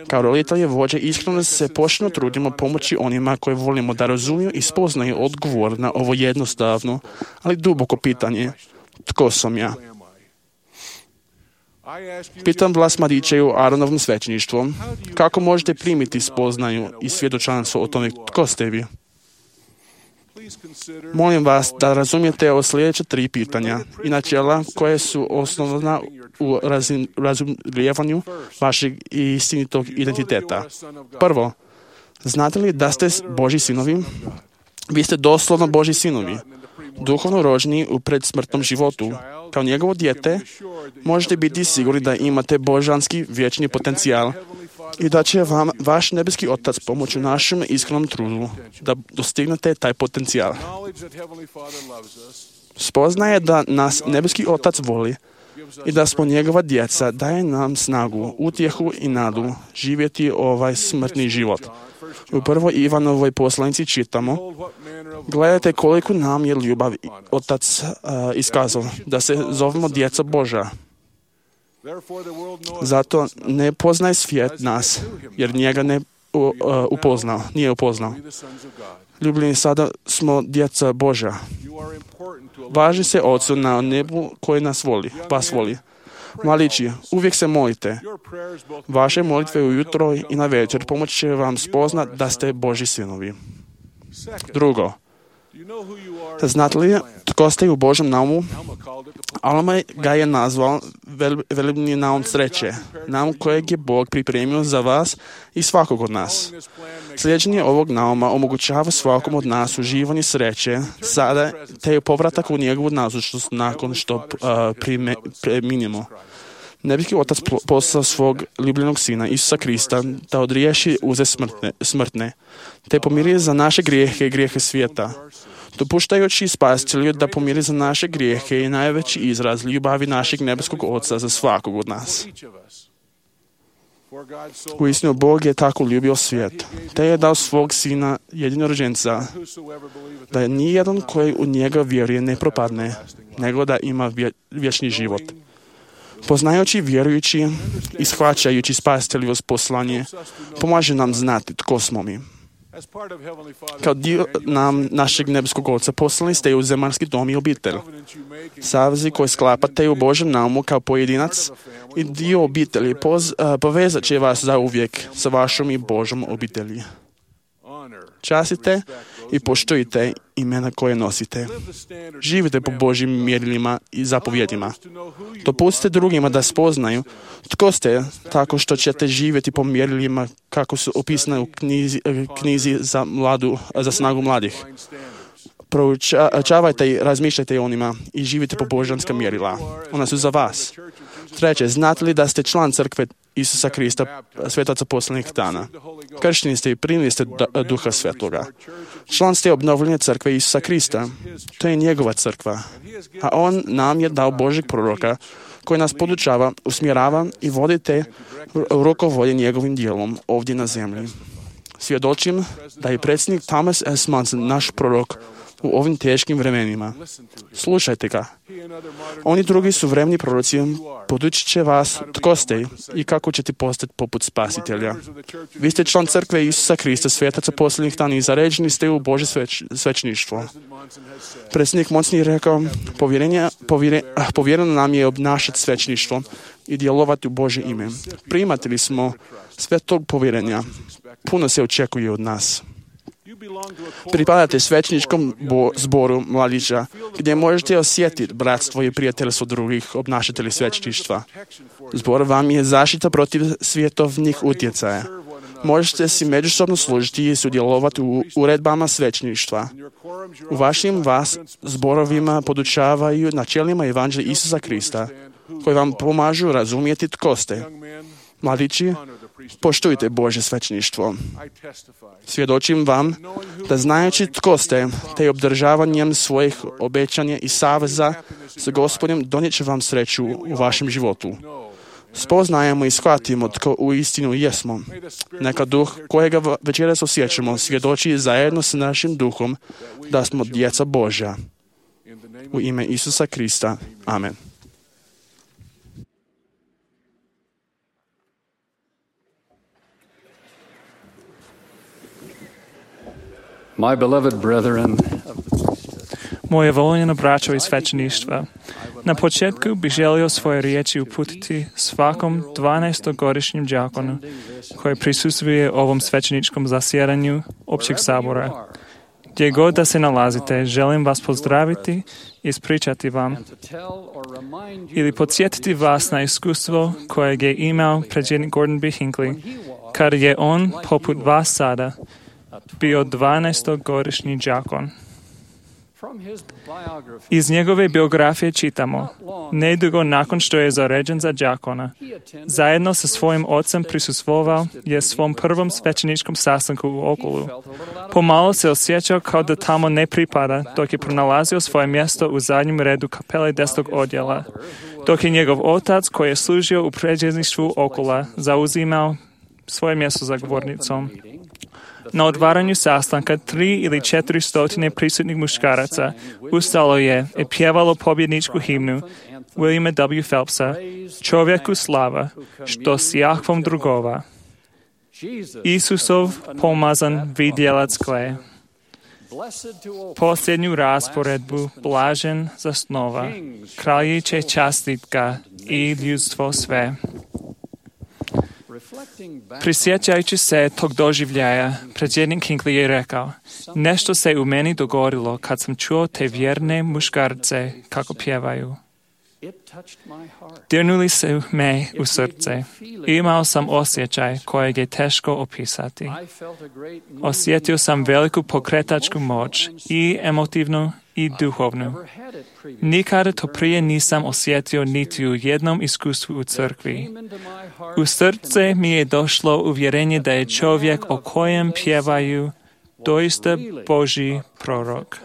Kao roditelji vođe iskreno se početno trudimo pomoći onima koje volimo da razumiju i spoznaju odgovor na ovo jednostavno, ali duboko pitanje. Tko sam ja? Pitam vas mladiće u Aaronovom svećeništvu, kako možete primiti spoznaju i svjedočanstvo o tome tko ste vi? Molim vas da razumijete o sljedeća 3 pitanja i načela koje su osnovna u razumijevanju vašeg istinitog identiteta. Prvo, znate li da ste Božji sinovi? Vi ste doslovno Božji sinovi, duhovno rođeni u predsmrtnom životu. Kao njegovo dijete možete biti sigurni da imate božanski vječni potencijal i da će vam vaš nebeski Otac pomoći u našem iskrenom trudu da dostignete taj potencijal. Spoznaje da nas nebeski Otac voli i da smo njegova djeca daje nam snagu, utjehu i nadu živjeti ovaj smrtni život. U prvoj Ivanovoj poslanici čitamo, gledajte koliko nam je ljubav Otac iskazao, da se zovemo djeca Božja. Zato ne poznaje svijet nas, jer njega ne nije upoznao. Ljubljeni, sada smo djeca Božja. Važi se Ocu na nebu koji vas voli. Mladići, uvijek se molite. Vaše molitve ujutro i na večer pomoći će vam spoznat da ste Božji sinovi. Drugo, znate li tko ste u Božjem naumu? Alma ga je nazval velebni naum sreće, naum kojeg je Bog pripremio za vas i svakog od nas. Sljeđenje ovog nauma omogućava svakom od nas uživanje sreće sada te je povratak u njegovu nazočnost nakon što preminimo. Nebeský Otac poslao svog ljubljenog Sina Isusa Krista da odriješi uze smrtne, te pomiri za naše grijehe i grijehe svijeta. Dopuštajući Spasitelju da pomiri za naše grijehe je najveći izraz ljubavi našeg nebeskog Oca za svakog od nas. Uistinu, Bog je tako ljubio svijet, te je dao svog Sina jedinorođenca, da nijedan koji u njega vjeruje ne propadne, nego da ima vječni život. Poznajući, vjerujući i shvaćajući Spasiteljevo poslanje, pomaže nam znati tko smo mi. Kao dio našeg nebeskog Oca poslani ste u zemaljski dom i obitelj. Savezi koji sklapate u Božjem naumu kao pojedinac i dio obitelji povezat će vas zauvijek sa vašom i Božjom obitelji. Častite i poštujte imena koje nosite. Živite po Božjim mjerilima i zapovjedima. Dopustite drugima da spoznaju tko ste, tako što ćete živjeti po mjerilima kako su opisane u knjizi za snagu mladih. Proučavajte i razmišljajte o onima i živite po božanska mjerila. Ona su za vas. Treće, znate li da ste član crkve Isusa Krista, svetaca posljednjih dana? Kršteni ste i primili ste Duha Svetoga. Član ste obnovljene crkve Isusa Krista. To je njegova crkva. A on nam je dao Božjeg proroka koji nas podučava, usmjerava i vodite rukovodje njegovim djelom ovdje na zemlji. Svjedočim da je predsjednik Thomas S. Monson naš prorok u ovim teškim vremenima. Slušajte ga. Oni drugi suvremeni proroci podučit će vas tko ste i kako ćete postati poput Spasitelja. Vi ste član crkve Isusa Krista, svetaca posljednjih dana i zaređeni ste u Božje svećeništvo. Predsjednik Monson je rekao, povjereno nam je obnašati svećeništvo i djelovati u Božje ime. Primatelji smo sve tog povjerenja. Puno se očekuje od nas. Pripadate svećeničkom zboru mladića, gdje možete osjetiti bratstvo i prijateljstvo drugih obnašatelji svećeništva. Zbor vam je zaštita protiv svjetovnih utjecaja. Možete si međusobno služiti i sudjelovati u uredbama svećeništva. U vašim vas zborovima podučavaju načelima evanđelja Isusa Krista, koji vam pomažu razumjeti tko ste. Mladići, poštujte Božje svećeništvo. Svjedočim vam da znajući tko ste, te obdržavanjem svojih obećanja i saveza sa Gospodom donijet će vam sreću u vašem životu. Spoznajemo i shvatimo tko u istinu jesmo. Neka duh kojega večeras osjećamo svjedoči zajedno sa našim duhom da smo djeca Božja. U ime Isusa Krista. Amen. My beloved brethren, moje voljeno braćo iz svećeništva, na početku bih želio svoje riječi uputiti svakom 12-godišnjem đakonu koji prisustvuje ovom svećeničkom zasjedanju općeg sabora. Gdje god da se nalazite, želim vas pozdraviti i ispričati vam ili podsjetiti vas na iskustvo kojeg je imao predsjednik Gordon B. Hinckley, kad je on, poput vas sada, bio 12-godišnji đakon. Iz njegove biografije čitamo, nedugo nakon što je zaređen za đakona, zajedno sa svojim ocem prisustvovao je svom prvom svećeničkom sastanku u Okulu. Pomalo se osjećao kao da tamo ne pripada, dok je pronalazio svoje mjesto u zadnjem redu kapele 10. odjela, dok je njegov otac, koji je služio u predsjedništvu Okula, zauzimao svoje mjesto za govornicom. Na otvaranju sastanka 3 ili 400 prisutnih muškaraca ustalo je i pjevalo pobjedničku himnu Williama W. Phelpsa, Čovjeku slava, što s Jahvom drugova. Isusov pomazan vidjelac gle. Posljednju rasporedbu blažen zasnova. Kralji će častit ga i ljudstvo sve. Prisjećajući se tog doživljaja, predsjednik Hinckley je rekao, nešto se u meni dogodilo kad sam čuo te vjerne muškarce kako pjevaju. Dirnuli su me u srce. Imao sam osjećaj kojeg je teško opisati. Osjetio sam veliku pokretačku moć, i emotivnu i duhovnu. Nikada to prije nisam osjetio niti u jednom iskustvu u crkvi. U srce mi je došlo uvjerenje da je čovjek o kojem pjevaju doista Božji prorok.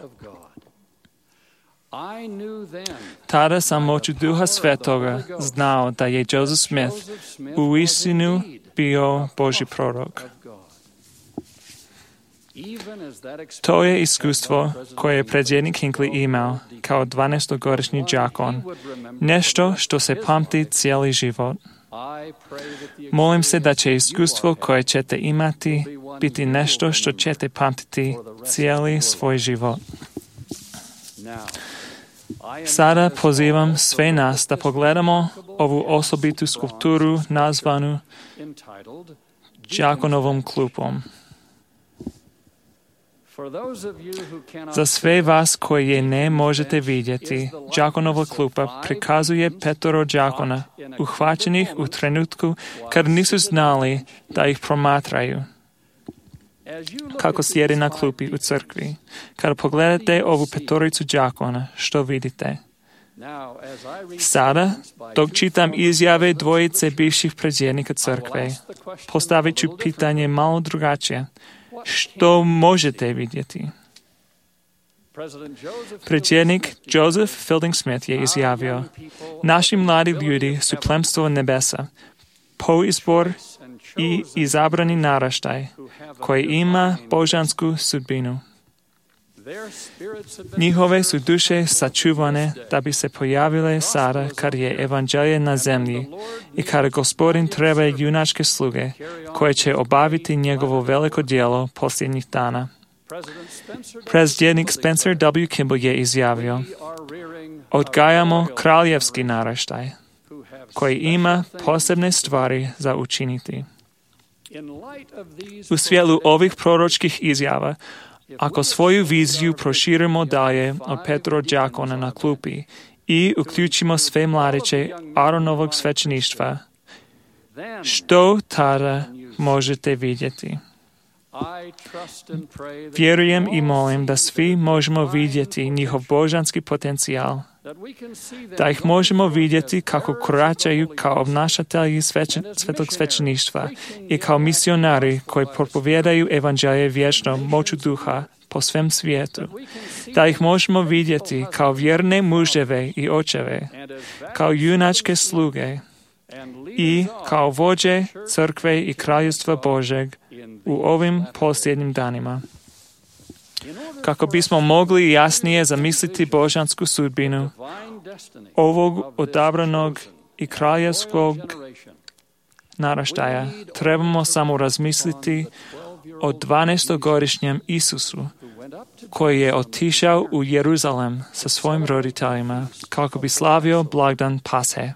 Tada sam moću Duha Svetoga znao da je Joseph Smith uistinu bio Božji prorok. To je iskustvo koje je predsjednik Hinckley imao kao 12-godišnji đakon, nešto što se pamti cijeli život. Molim se da će iskustvo koje ćete imati biti nešto što ćete pamtiti cijeli svoj život. Sada pozivam sve nas da pogledamo ovu osobitu skulpturu nazvanu đakonovom klupom. Za sve vas koji je ne možete vidjeti, đakonova klupa prikazuje 5 đakona, uhvaćenih u trenutku kad nisu znali da ih promatraju. Kako sjede na klupi u crkvi. Kada pogledate ovu 5 đakona, što vidite? Sada, dok čitam izjave 2 bivših predsjednika crkve, postavit ću pitanje malo drugačije. Što možete vidjeti? Predsjednik Joseph Fielding Smith je izjavio, naši mladi ljudi su plemstvo nebesa, poizbor i izabrani naraštaj koji ima božansku sudbinu. Njihove su duše sačuvane da bi se pojavile sada kad je evanđelje na zemlji i kada Gospodin treba junačke sluge koje će obaviti njegovo veliko djelo posljednjih dana. Predsjednik Spencer W. Kimball je izjavio, odgajamo kraljevski naraštaj koji ima posebne stvari za učiniti. U svjetlu ovih proročkih izjava, ako svoju viziju proširimo dalje od 5 đakona na klupi i uključimo sve mladiće Aaronovog svećeništva, što tada možete vidjeti? Vjerujem i molim da svi možemo vidjeti njihov božanski potencijal, da ih možemo vidjeti kako koračaju kao obnašatelji svetog svećeništva i kao misionari koji propovijedaju evanđelje vječno moću duha po svem svijetu, da ih možemo vidjeti kao vjerne muževe i očeve, kao junačke sluge i kao vođe crkve i kraljevstva Božeg u ovim posljednjim danima. Kako bismo mogli jasnije zamisliti božansku sudbinu ovog odabranog i kraljevskog naraštaja, trebamo samo razmisliti o 12-godišnjem Isusu, koji je otišao u Jeruzalem sa svojim roditeljima kako bi slavio blagdan Pashe.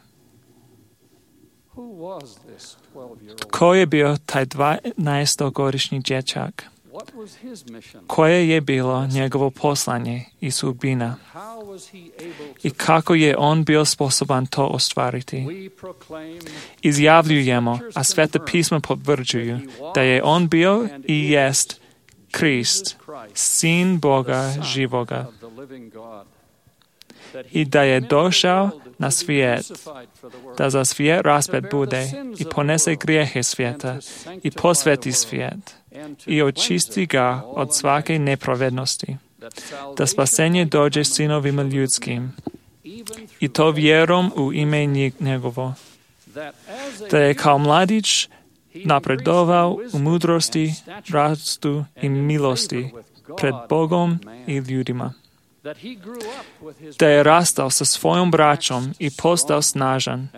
Tko je bio taj 12-godišnji dječak? Koje je bilo njegovo poslanje i sudbina? I kako je on bio sposoban to ostvariti? Izjavljujemo, a Sveta pisma potvrđuju, da je on bio i jest Krist, Sin Boga živoga. I da je došao na svijet, da za svijet raspet bude i ponese grijehe svijeta i posveti svijet i očisti ga od svake nepravednosti, da spasenje dođe sinovima ljudskim i to vjerom u ime njegovo, da je kao mladić napredovao u mudrosti, rastu i milosti pred Bogom i ljudima, da je rastao sa svojom braćom i postao snažan,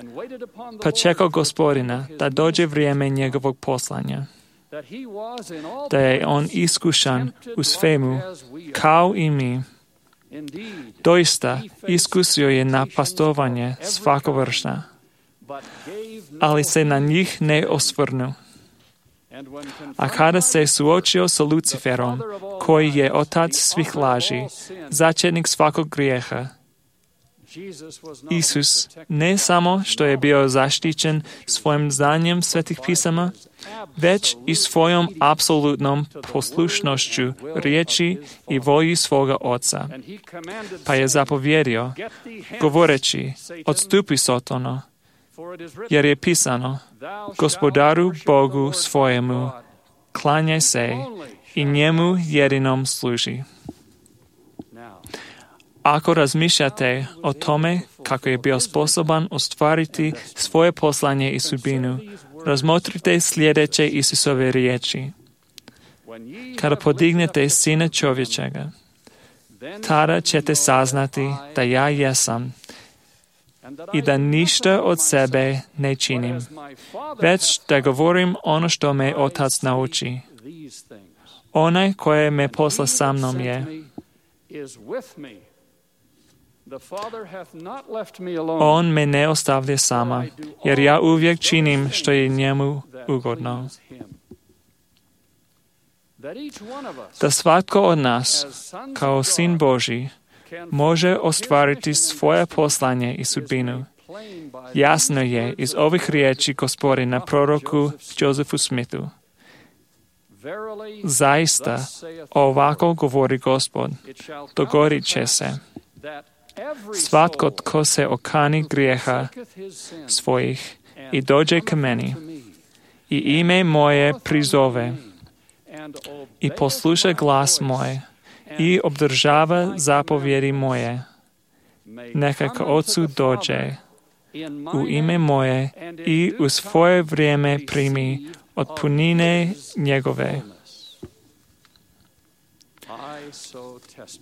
pa čekao Gospodina da dođe vrijeme njegovog poslanja. da je on iskušan u svemu, kao i mi. Doista, iskusio je napastovanje svakovršna, ali se na njih ne osvrnu. A kada se suočio sa Luciferom, koji je otac svih laži, začetnik svakog grijeha, Isus ne samo što je bio zaštićen svojim znanjem svetih pisama, već i svojom apsolutnom poslušnošću riječi i volji svoga oca. Pa je zapovjedio, govoreći, odstupi Sotona, jer je pisano, Gospodaru Bogu svojemu klanjaj se i njemu jedinom služi. Ako razmišljate o tome kako je bio sposoban ostvariti svoje poslanje i sudbinu, razmotrite sljedeće Isusove riječi. Kada podignete Sina čovječega, tada ćete saznati da ja jesam i da ništa od sebe ne činim, već da govorim ono što me Otac nauči. Onaj koji me posla sa mnom je. On me ne ostavlja sama, jer ja uvijek činim što je njemu ugodno. Da svatko od nas, kao sin Božji, može ostvariti svoje poslanje i sudbinu. Jasno je iz ovih riječi Gospodina proroku Josephu Smithu. Zaista, ovako govori Gospod, dogodit će se. Svatko tko se okani grijeha svojih i dođe k meni i ime moje prizove i posluša glas moj i obdržava zapovjedi moje, neka k Otcu dođe u ime moje i u svoje vrijeme primi od punine njegove.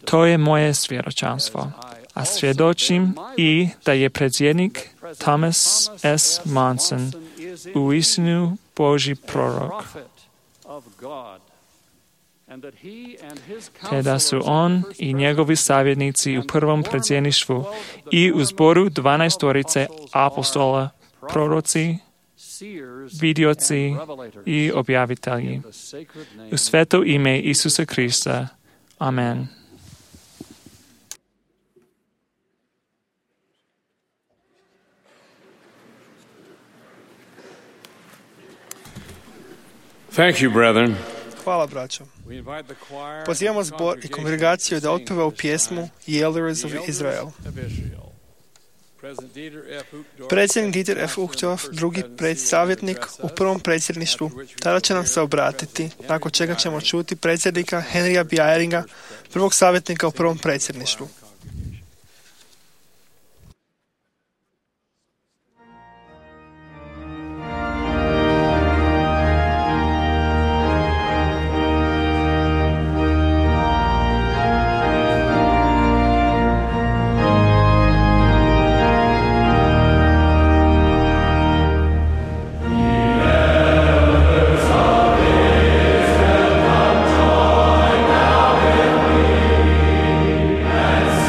To je moje svjedočanstvo. A svjedočim i da je predsjednik Thomas S. Monson uistinu Božji prorok, te da su on i njegovi savjetnici u prvom predsjedništvu i u zboru 12 apostola, proroci, vidioci i objavitelji. U sveto ime Isusa Krista. Amen. Thank you, brethren. Hvala, braćo. Pozivamo zbor i kongregaciju da otpeva u pjesmu The Elders of Israel. Predsjednik Dieter F. Uchtdorf, drugi savjetnik u prvom predsjedništvu, tada će nam se obratiti, nakon čega ćemo čuti predsjednika Henrya B. Eyringa, prvog savjetnika u prvom predsjedništvu. And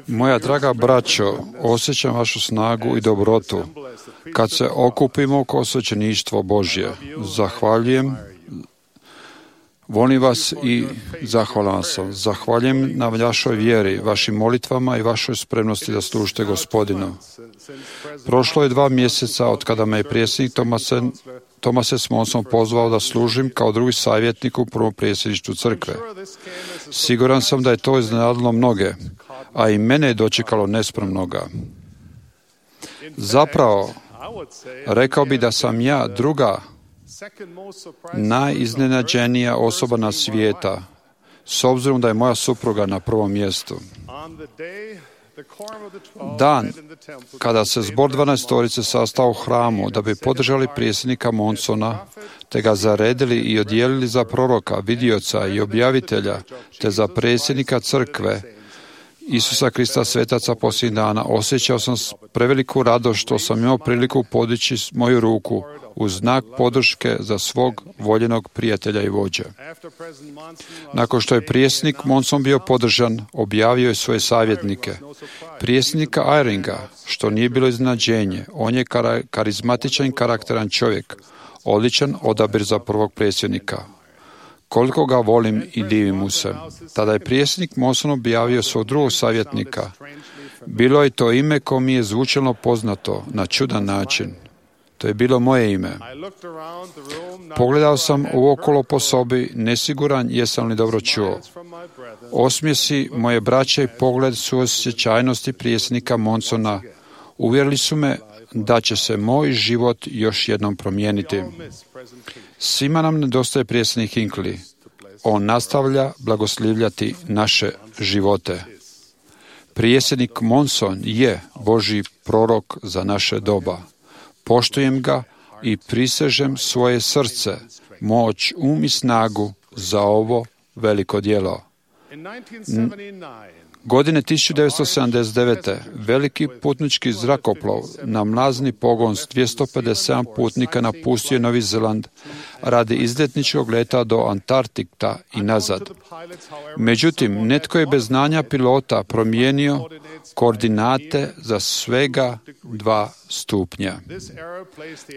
Moja draga braćo, osjećam vašu snagu i dobrotu kad se okupimo oko svećeništvo Božje. Zahvaljujem, volim vas i zahvalan sam. Zahvaljujem na vašoj vjeri, vašim molitvama i vašoj spremnosti da služite Gospodinu. Prošlo je 2 mjeseca od kada me je predsjednik Thomas S. Monson pozvao da služim kao drugi savjetnik u prvom predsjedništvu crkve. Siguran sam da je to iznenadilo mnoge, a i mene je dočekalo nespremnoga. Zapravo, rekao bi da sam ja druga najiznenađenija osoba na svijeta, s obzirom da je moja supruga na prvom mjestu. Dan kada se zbor 12 sastao u hramu da bi podržali predsjednika Monsona, te ga zaredili i odijelili za proroka, vidioca i objavitelja, te za predsjednika crkve Isusa Krista svetaca posljednjih dana, osjećao sam preveliku radost što sam imao priliku podići moju ruku u znak podrške za svog voljenog prijatelja i vođa. Nakon što je predsjednik Monson bio podržan, objavio je svoje savjetnike. Predsjednika Eyringa, što nije bilo iznenađenje, on je karizmatičan i karakteran čovjek, odličan odabir za prvog predsjednika. Koliko ga volim i divim mu se. Tada je predsjednik Monson objavio svog drugog savjetnika. Bilo je to ime koje mi je zvučalo poznato na čudan način. To je bilo moje ime. Pogledao sam uokolo po sobi, nesiguran jesam li dobro čuo. Osmjesi moje braće i pogled suosjećajnosti predsjednika Monsona uvjerili su me da će se moj život još jednom promijeniti. Svima nam nedostaje predsjednik Hinckley. On nastavlja blagoslivljati naše živote. Predsjednik Monson je Božji prorok za naše doba. Poštujem ga i prisežem svoje srce, moć, i snagu za ovo veliko djelo. Godine 1979. veliki putnički zrakoplov na mlazni pogon s 257 putnika napustio Novi Zeland radi izletničkog leta do Antarktika i nazad. Međutim, netko je bez znanja pilota promijenio koordinate za svega 2 stupnja.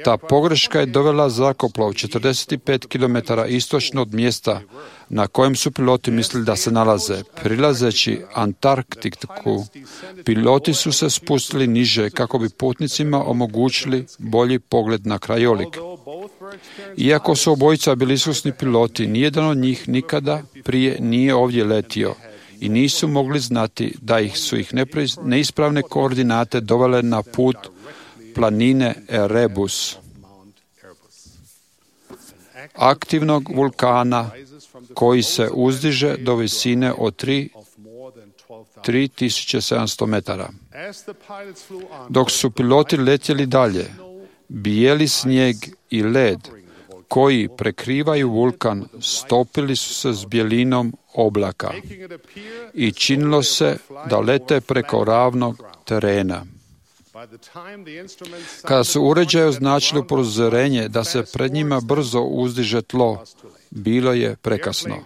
Ta pogreška je dovela zrakoplov 45 km istočno od mjesta na kojem su piloti mislili da se nalaze. Prilazeći Antarktiku, piloti su se spustili niže kako bi putnicima omogućili bolji pogled na krajolik. Iako su obojica bili iskusni piloti, nijedan od njih nikada prije nije ovdje letio i nisu mogli znati da su ih neispravne koordinate dovele na put planine Erebus, aktivnog vulkana koji se uzdiže do visine od 3700 metara. Dok su piloti letjeli dalje, bijeli snijeg i led koji prekrivaju vulkan stopili su se s bijelinom oblaka i činilo se da lete preko ravnog terena. Kada su uređaji označili upozorenje da se pred njima brzo uzdiže tlo, bilo je prekasno.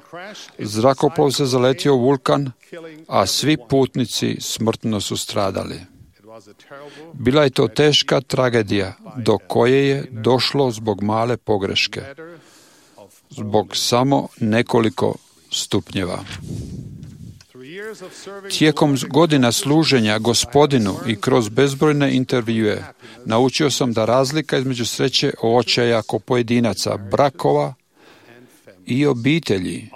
Zrakoplov se zaletio u vulkan, a svi putnici smrtno su stradali. Bila je to teška tragedija do koje je došlo zbog male pogreške, zbog samo nekoliko stupnjeva. Tijekom godina služenja Gospodinu i kroz bezbrojne intervjue naučio sam da razlika između sreće očaja kod pojedinaca, brakova i obitelji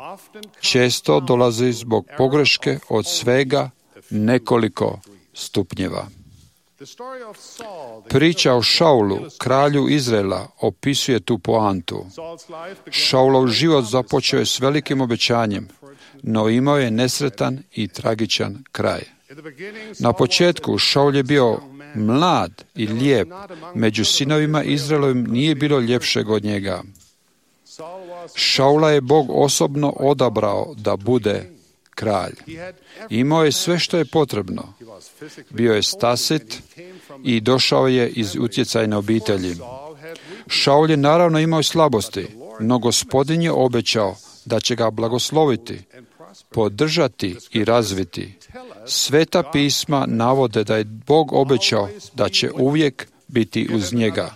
često dolazi zbog pogreške od svega nekoliko stupnjeva. Priča o Šaulu, kralju Izraela, opisuje tu poantu. Šaulov život započeo je s velikim obećanjem, no imao je nesretan i tragičan kraj. Na početku Šaul je bio mlad i lijep, među sinovima Izraelovim nije bilo ljepšeg od njega. Šaula je Bog osobno odabrao da bude kralj. Imao je sve što je potrebno. Bio je stasit i došao je iz utjecajne obitelji. Šaul je naravno imao slabosti, no Gospodin je obećao da će ga blagosloviti, podržati i razviti Sveta pisma navode da je Bog obećao da će uvijek biti uz njega,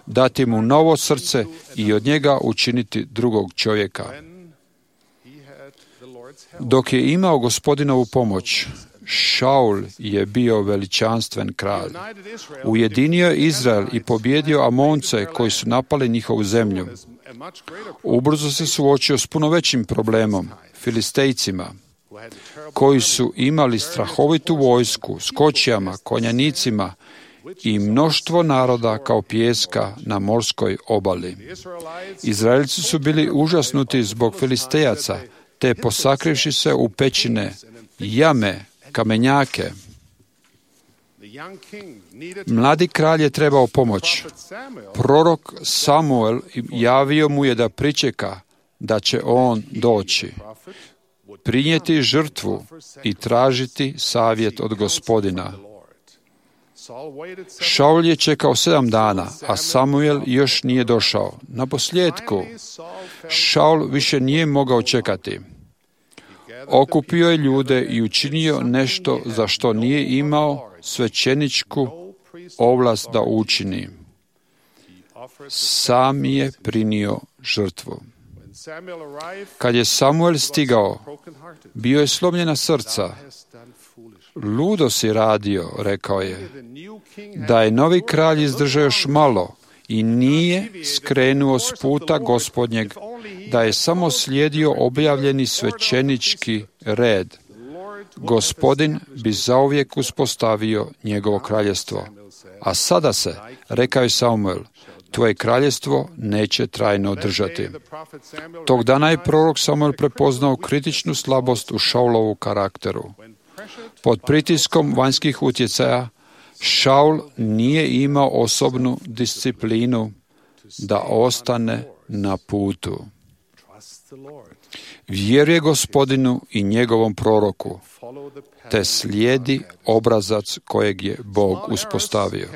dati mu novo srce i od njega učiniti drugog čovjeka. Dok je imao Gospodinovu pomoć, Šaul je bio veličanstven kralj. Ujedinio je Izrael i pobjedio Amonce koji su napali njihovu zemlju. Ubrzo se suočio s puno većim problemom, Filistejcima, koji su imali strahovitu vojsku s kočijama, konjanicima i mnoštvo naroda kao pijeska na morskoj obali. Izraelci su bili užasnuti zbog Filistejaca, te posakrivši se u pećine, jame, kamenjake. Mladi kralj je trebao pomoć. Prorok Samuel javio mu je da pričeka da će on doći, prinijeti žrtvu i tražiti savjet od Gospodina. Šaul je čekao 7 dana, a Samuel još nije došao. Naposljetku, Šaul više nije mogao čekati. Okupio je ljude i učinio nešto za što nije imao svećeničku ovlast da učini. Sam je prinio žrtvu. Kad je Samuel stigao, bio je slomljena srca. Ludo si radio, rekao je, da je novi kralj izdržao još malo i nije skrenuo s puta Gospodnjeg, da je samo slijedio objavljeni svećenički red. Gospodin bi zauvijek uspostavio njegovo kraljestvo. A sada se, rekao je Samuel, tvoje kraljestvo neće trajno održati. Tog dana je prorok Samuel prepoznao kritičnu slabost u Šaulovu karakteru. Pod pritiskom vanjskih utjecaja, Šaul nije imao osobnu disciplinu da ostane na putu. Vjeruje Gospodinu i njegovom proroku, te slijedi obrazac kojeg je Bog uspostavio.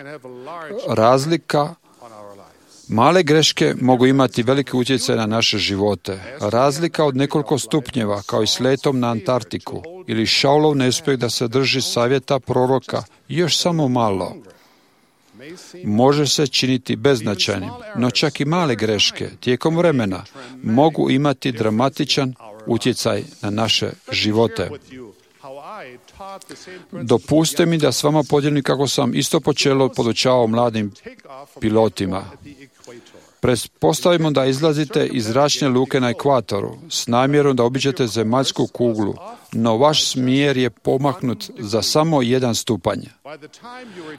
Male greške mogu imati veliki utjecaj na naše živote. Razlika od nekoliko stupnjeva, kao i s letom na Antarktiku, ili Šaulov neuspjeh da se drži savjeta proroka još samo malo, može se činiti beznačajnim, no čak i male greške tijekom vremena mogu imati dramatičan utjecaj na naše živote. Dopustite mi da s vama podijelim kako sam isto počelo podučavao mladim pilotima. Pretpostavimo da izlazite iz zračne luke na ekvatoru s namjerom da obiđete zemaljsku kuglu, no vaš smjer je pomaknut za samo 1 stupanj.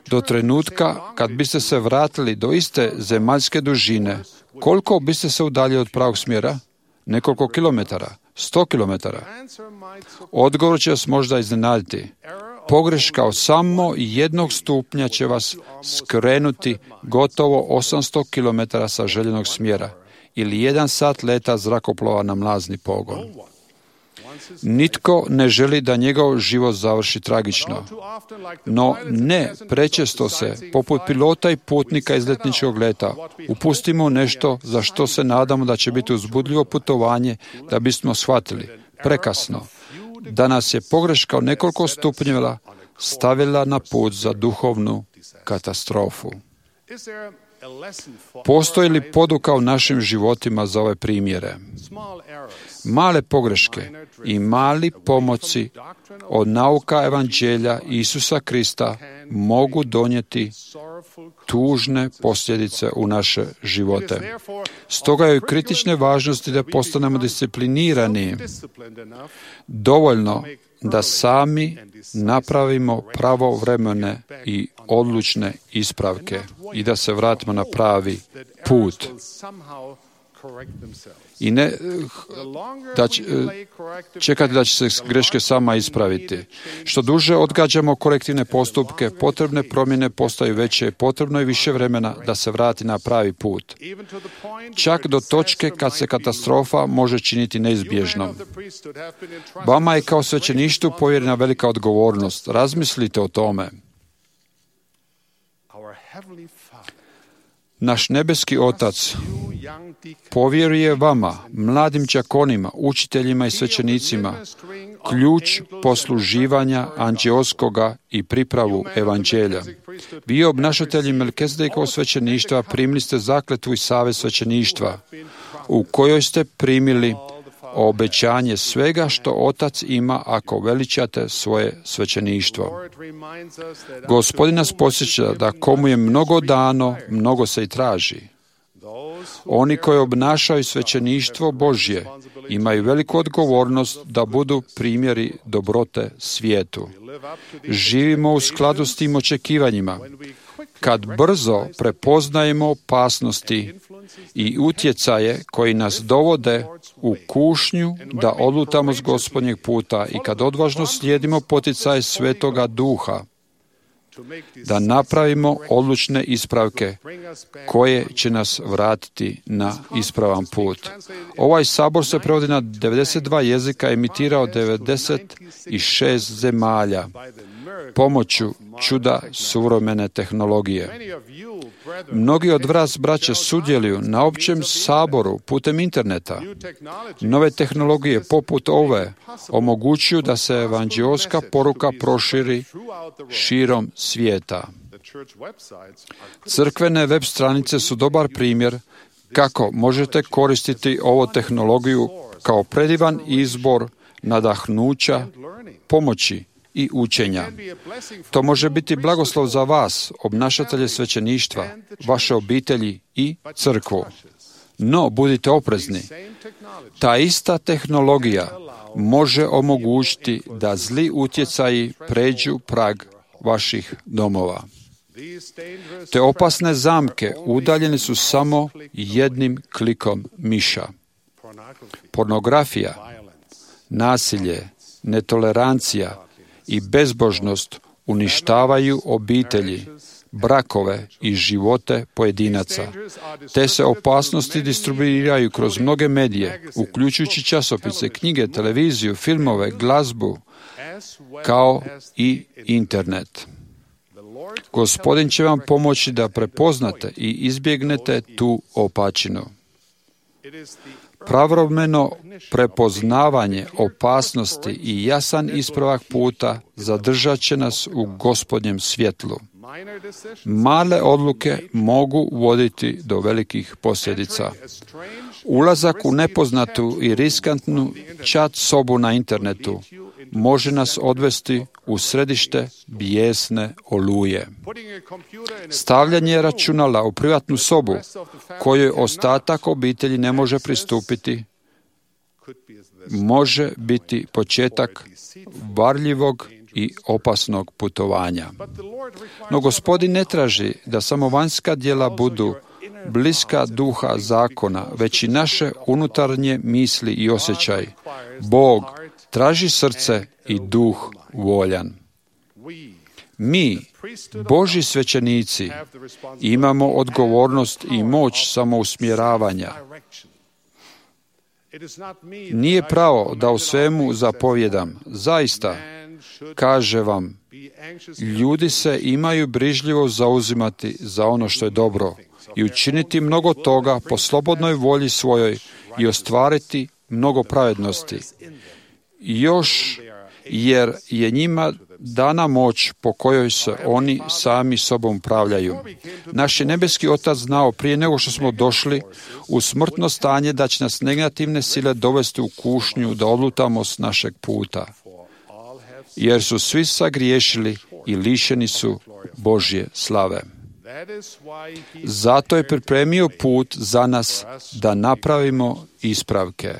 Do trenutka kad biste se vratili do iste zemaljske dužine, koliko biste se udaljili od pravog smjera? Nekoliko kilometara, 100 kilometara. Odgovor će vas možda iznenaditi. Pogreška od samo 1 stupnja će vas skrenuti gotovo 800 km sa željenog smjera ili 1 sat leta zrakoplova na mlazni pogon. Nitko ne želi da njegov život završi tragično, no ne prečesto se, poput pilota i putnika iz letničkog leta, upustimo nešto za što se nadamo da će biti uzbudljivo putovanje da bismo shvatili, prekasno, da nas je pogreška od nekoliko stupnjeva stavila na put za duhovnu katastrofu. Postoji li poduka u našim životima za ove primjere? Male pogreške i mali pomaci od nauka evanđelja Isusa Krista mogu donijeti tužne posljedice u naše živote. Stoga je u kritične važnosti da postanemo disciplinirani dovoljno da sami napravimo pravovremene i odlučne ispravke i da se vratimo na pravi put. I ne čekati da će se greške sama ispraviti. Što duže odgađamo korektivne postupke, potrebne promjene postaju veće, potrebno je više vremena da se vrati na pravi put. Čak do točke kad se katastrofa može činiti neizbježnom. Vama je kao svećeništvu povjerena velika odgovornost. Razmislite o tome. Naš nebeski Otac povjeruje vama, mladim đakonima, učiteljima i svećenicima, ključ posluživanja anđeoskoga i pripravu evanđelja. Vi, obnašatelji Melkizedekova svećeništva, primili ste zakletvu i savez svećeništva, u kojoj ste primili obećanje svega što Otac ima ako veličate svoje svećeništvo. Gospodin nas podsjeća da komu je mnogo dano, mnogo se i traži. Oni koji obnašaju svećeništvo Božje imaju veliku odgovornost da budu primjeri dobrote svijetu. Živimo u skladu s tim očekivanjima. Kad brzo prepoznajemo opasnosti i utjecaje koji nas dovode u kušnju da odlutamo s Gospodnjeg puta i kad odvažno slijedimo poticaje Svetoga Duha, da napravimo odlučne ispravke koje će nas vratiti na ispravan put. Ovaj sabor se prevodi na 92 jezika, emitirao 96 zemalja pomoću čuda suvremene tehnologije. Mnogi od vas, braće, sudjeluju na općem saboru putem interneta. Nove tehnologije poput ove omogućuju da se evanđeoska poruka proširi širom svijeta. Crkvene web stranice su dobar primjer kako možete koristiti ovu tehnologiju kao predivan izbor nadahnuća, pomoći i učenja. To može biti blagoslov za vas, obnašatelje svećeništva, vaše obitelji i crkvu. No, budite oprezni. Ta ista tehnologija može omogućiti da zli utjecaji pređu prag vaših domova. Te opasne zamke udaljene su samo jednim klikom miša. Pornografija, nasilje, netolerancija i bezbožnost uništavaju obitelji, brakove i živote pojedinaca. Te se opasnosti distribuiraju kroz mnoge medije, uključujući časopise, knjige, televiziju, filmove, glazbu, kao i internet. Gospodin će vam pomoći da prepoznate i izbjegnete tu opačinu. Pravovremeno prepoznavanje opasnosti i jasan ispravak puta zadržat će nas u Gospodnjem svjetlu. Male odluke mogu voditi do velikih posljedica. Ulazak u nepoznatu i riskantnu chat sobu na internetu može nas odvesti u središte bijesne oluje. Stavljanje računala u privatnu sobu kojoj ostatak obitelji ne može pristupiti može biti početak varljivog i opasnog putovanja. No Gospodin ne traži da samo vanjska djela budu bliska duha zakona, već i naše unutarnje misli i osjećaj. Bog traži srce i duh voljan. Mi, Božji svećenici, imamo odgovornost i moć samousmjeravanja. Nije pravo da u svemu zapovjedam. Zaista, kaže vam, ljudi se imaju brižljivo zauzimati za ono što je dobro i učiniti mnogo toga po slobodnoj volji svojoj i ostvariti mnogo pravednosti. Još jer je njima dana moć po kojoj se oni sami sobom upravljaju. Naš je nebeski Otac znao prije nego što smo došli u smrtno stanje da će nas negativne sile dovesti u kušnju da odlutamo s našeg puta. Jer su svi sagriješili i lišeni su Božje slave. Zato je pripremio put za nas da napravimo ispravke.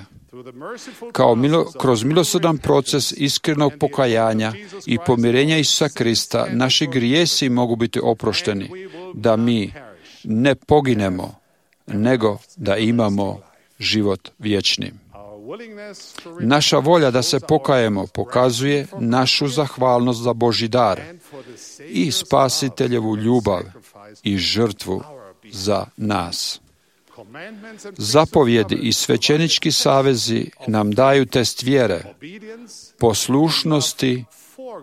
Kroz milosrdan proces iskrenog pokajanja i pomirenja Isusa Krista, naši grijesi mogu biti oprošteni, da mi ne poginemo, nego da imamo život vječni. Naša volja da se pokajemo pokazuje našu zahvalnost za Božji dar i Spasiteljevu ljubav i žrtvu za nas. Zapovjedi i svećenički savezi nam daju test vjere, poslušnosti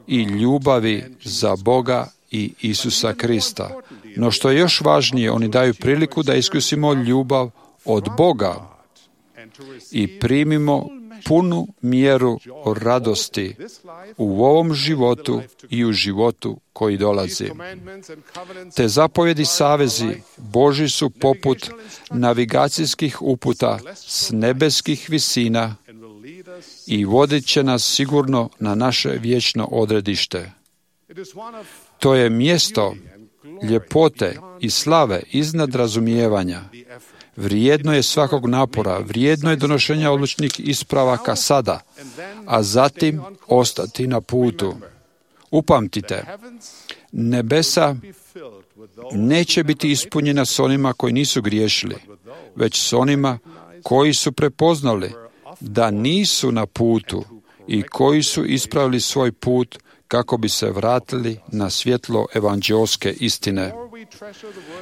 i ljubavi za Boga i Isusa Krista. No što je još važnije, oni daju priliku da iskusimo ljubav od Boga i primimo punu mjeru radosti u ovom životu i u životu koji dolazi. Te zapovjedi savezi Božji su poput navigacijskih uputa s nebeskih visina i vodit će nas sigurno na naše vječno odredište. To je mjesto ljepote i slave iznad razumijevanja. Vrijedno je svakog napora, vrijedno je donošenja odlučnih ispravaka sada, a zatim ostati na putu. Upamtite, nebesa neće biti ispunjena s onima koji nisu griješili, već s onima koji su prepoznali da nisu na putu i koji su ispravili svoj put kako bi se vratili na svjetlo evanđeoske istine.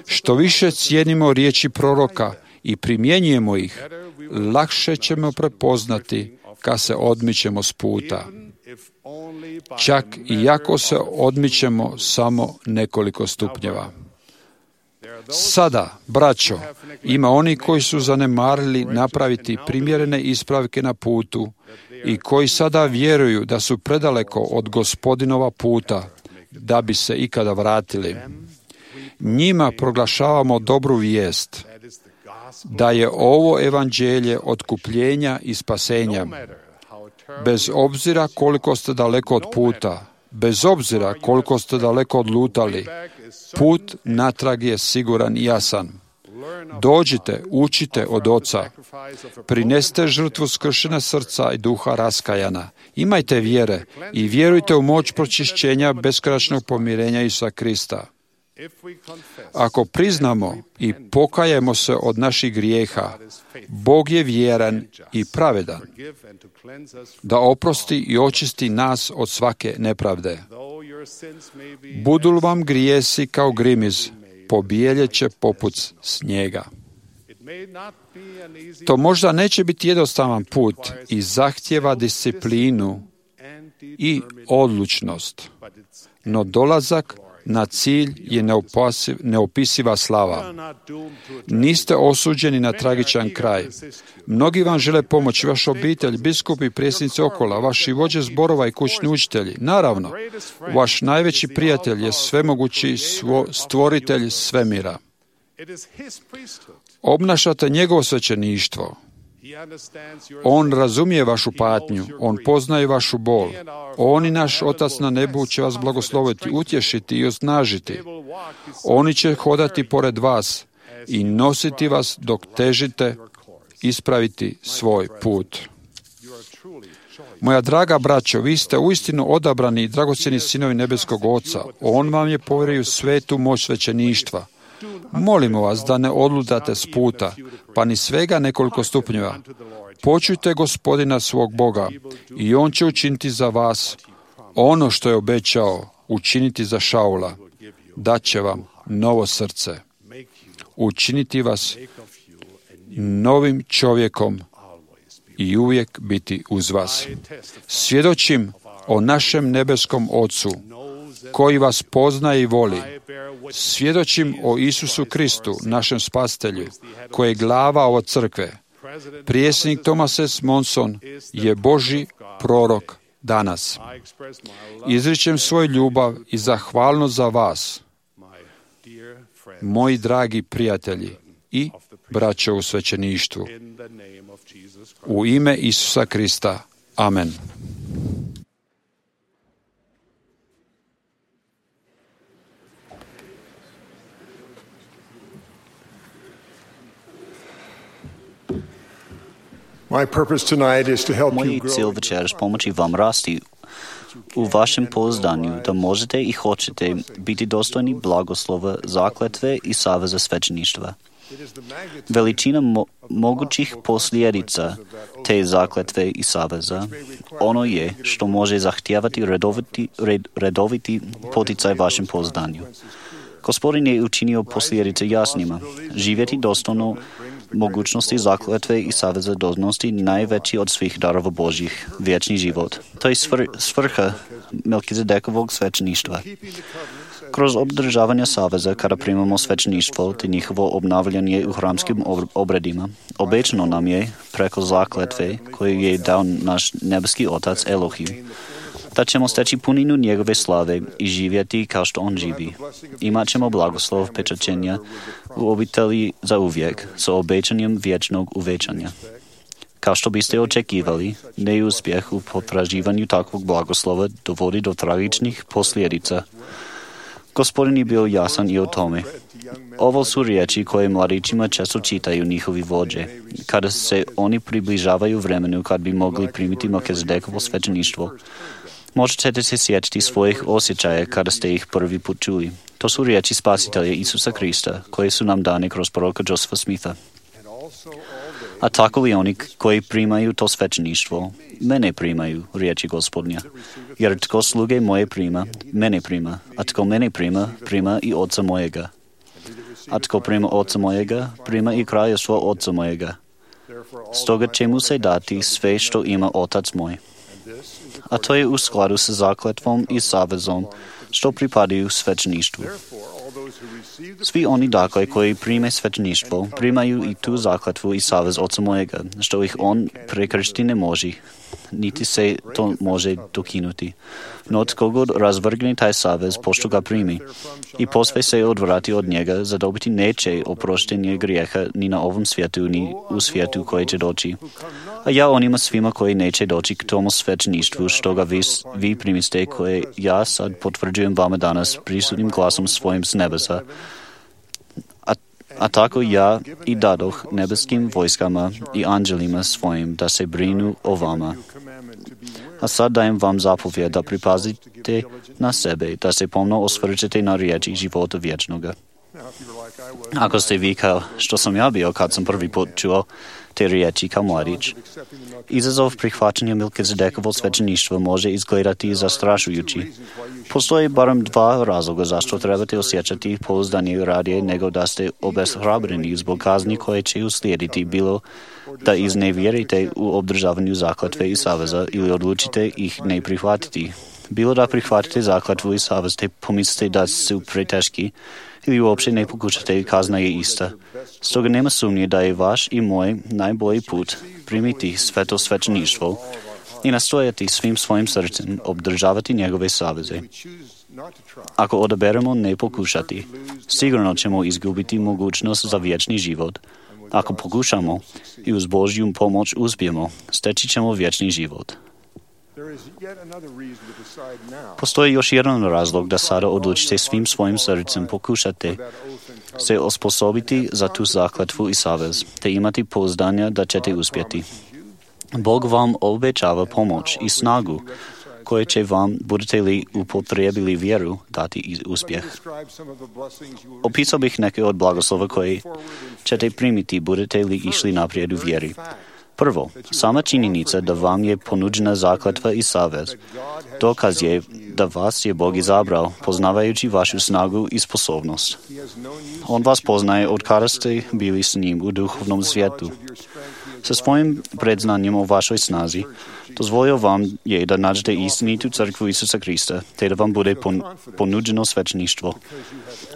Što više cijenimo riječi proroka i primjenjujemo ih, lakše ćemo prepoznati kad se odmičemo s puta. Čak i ako se odmičemo samo nekoliko stupnjeva. Sada, braćo, ima oni koji su zanemarili napraviti primjerene ispravke na putu i koji sada vjeruju da su predaleko od Gospodinova puta da bi se ikada vratili. Njima proglašavamo dobru vijest, da je ovo evanđelje otkupljenja i spasenja. Bez obzira koliko ste daleko od puta, bez obzira koliko ste daleko odlutali, put natrag je siguran i jasan. Dođite, učite od Oca. Prinesite žrtvu skršena srca i duha raskajana. Imajte vjere i vjerujte u moć pročišćenja beskonačnog pomirenja Isusa Krista. Ako priznamo i pokajemo se od naših grijeha, Bog je vjeran i pravedan da oprosti i očisti nas od svake nepravde. Budu li vam grijesi kao grimiz, pobijeljet će poput snijega. To možda neće biti jednostavan put i zahtjeva disciplinu i odlučnost, no dolazak na cilj je neopisiva slava. Niste osuđeni na tragičan kraj. Mnogi vam žele pomoći, vaš obitelj, biskupi, predsjednici okola, vaši vođe zborova i kućni učitelji. Naravno, vaš najveći prijatelj je svemogući stvoritelj svemira. Obnašate njegovo svećeništvo. On razumije vašu patnju, on poznaje vašu bol. On i naš Otac na nebu će vas blagosloviti, utješiti i osnažiti. Oni će hodati pored vas i nositi vas dok težite ispraviti svoj put. Moja draga braćo, vi ste uistinu odabrani i dragocjeni sinovi nebeskog Oca. On vam je povjerio svetu moć svećeništva. Molimo vas da ne odlutate s puta, pa ni svega nekoliko stupnjeva. Počujte Gospodina svog Boga i On će učiniti za vas ono što je obećao učiniti za Šaula. Daće vam novo srce. Učiniti vas novim čovjekom i uvijek biti uz vas. Svjedočim o našem nebeskom Ocu, koji vas poznaje i voli. Svjedočim o Isusu Kristu, našem spasitelju, koji je glava ove crkve. Predsjednik Thomas S. Monson je Božji prorok danas. Izričem svoju ljubav i zahvalnost za vas, moji dragi prijatelji i braćo u svećeništvu. U ime Isusa Krista. Amen. Moj cilj večeras pomoći vam rasti u vašem pouzdanju da možete i hoćete biti dostojni blagoslova, zakletve i saveza svećeništva. Veličina mogućih posljedica te zakletve i saveza ono je što može zahtijevati redoviti poticaj vašem pouzdanju. Gospodin je učinio posljedice jasnima. Živjeti dostojno mogućnosti zakletve i saveza donositi najveći od svih darova Božjih, vječni život. To je svrha Melkizedekovog svećeništva. Kroz održavanje saveza, kada primamo svećeništvo te njihovo obnavljanje u hramskim obredima, obećano nam je preko zakletve koju je dao naš nebeski Otac Elohim, da ćemo steći puninu njegove slave i živjeti kao što on živi. Imat ćemo blagoslov pečaćenja u obitelji za uvijek, sa obećanjem vječnog uvećanja. Kao što biste očekivali, neuspjeh u potraživanju takvog blagoslova dovodi do tragičnih posljedica. Gospodin je bio jasan i o tome. Ovo su riječi koje mladićima često čitaju njihovi vođe, kada se oni približavaju vremenu kad bi mogli primiti Melkizedekovo svećeništvo. Možda ćete se sjetiti svojih osjećaja kada ste ih prvi put čuli. To su riječi Spasitelja Isusa Krista, koje su nam dane kroz proroka Josepha Smitha. A tako i oni koji primaju to svećeništvo, mene primaju, riječi Gospodnja. Jer tko sluge moje prima, mene prima, a tko mene prima, prima i Oca mojega. A tko prima Oca mojega, prima i kraljevstvo Oca mojega. Stoga će mu se dati sve što ima Otac moj. A to je u skladu sa zakletvom i savezom što pripadaju svećeništvu. Svi oni dakle koji prime svećeništvo, primaju i tu zakletvu i savez Oca mojega, što ih on prekršiti ne može, niti se to može dokinuti. No tko god razvrgne taj savez, pošto ga primi, i posve se odvrati od njega, zadobiti neće oproštenje grijeha ni na ovom svijetu, ni u svijetu koji će doći. A ja onima svima koji neće doći k tomu svećeništvu, što ga vi primiste, koje ja sad potvrđujem vama danas prisutnim glasom svojim s nebesa, a tako ja i dadoh nebeskim vojskama i anđelima svojim da se brinu o vama. A sad dajem vam zapovjed da pripazite na sebe, da se pomno osvrćete na riječi života vječnoga. Ako ste vi kao što sam ja bio kad sam prvi put čuo te riječi kao mladić, izazov prihvaćanja Melkizedekovo svećeništva može izgledati zastrašujući. Postoji barem dva razloga zašto trebate osjećati pouzdanje radije nego da ste obeshrabreni zbog kazni koje će uslijediti, bilo da iznevjerite u obdržavanju zakletve i saveza ili odlučite ih ne prihvatiti. Bilo da prihvatite zakletvu i savez te pomislite da su preteški ili uopće ne pokušate, kazna je ista. Stoga nema sumnje da je vaš i moj najbolji put primiti sveto svećeništvo i nastojati svim svojim srcem obdržavati njegove saveze. Ako odaberemo ne pokušati, sigurno ćemo izgubiti mogućnost za vječni život. Ako pokušamo i uz Božju pomoć uspijemo, steći ćemo vječni život. Postoji još jedan razlog da sada odlučite svim svojim srcem pokušate se osposobiti za tu zakletvu i savez, te imati pouzdanja da ćete uspjeti. Bog vam obećava pomoć i snagu koje će vam, budete li upotrijebili vjeru, dati i uspjeh. Opisao bih neke od blagoslova koje ćete primiti, budete li išli naprijed u vjeri. Prvo, sama činjenica da vam je ponuđena zakletva i savez, dokaz je da vas je Bog izabrao, poznavajući vašu snagu i sposobnost. On vas poznaje od kada ste bili s njim u duhovnom svijetu. Sa svojim predznanjem o vašoj snazi, dozvolio vam je da nađete istinitu crkvu Isusa Krista, te da vam bude ponuđeno svećeništvo.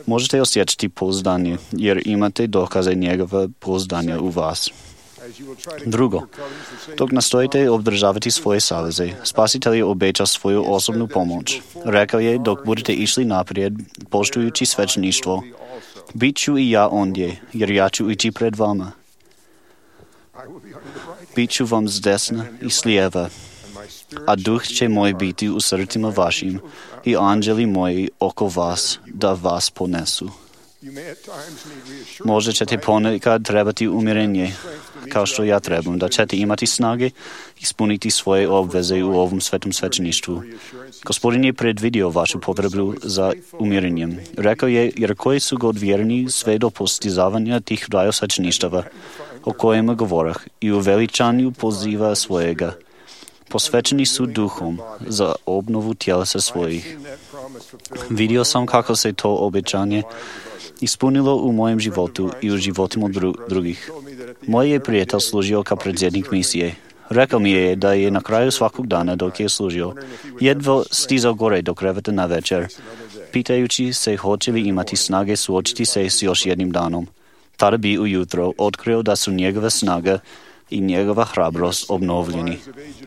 Možete osjećati pouzdanje, jer imate dokaze njegova pouzdanja u vas. Drugo, dok nastojite obdržavati svoje saveze, Spasitelj je obećao svoju osobnu pomoć. Rekao je, dok budete išli naprijed, poštujući svećeništvo, bit ću i ja ondje, jer ja ću ići pred vama. Bit ću vam s desna i s lijeva, a duh će moj biti u srcima vašim i anđeli moji oko vas, da vas ponesu. Možda ćete ponekad trebati umirenje, kao što ja trebam, da ćete imati snage ispuniti svoje obveze u ovom svetom svećeništvu. Gospodin je predvidio vašu potrebu za umirenjem. Rekao je, jer koji su god vjerni sve do postizavanja tih dvaju svećeništava, o kojima govorah, i u veličanju poziva svojega. Posvećeni su duhom za obnovu tjelesa svojih. Vidio sam kako se to obećanje ispunilo u mojem životu i u životima drugih. Moj je prijatelj služio kao predsjednik misije. Rekao mi je da je na kraju svakog dana dok je služio jedva stizao gore do kreveta na večer pitajući se hoće li imati snage suočiti se s još jednim danom. Tada bi ujutro otkrio da su njegova snaga i njegova hrabrost obnovljeni.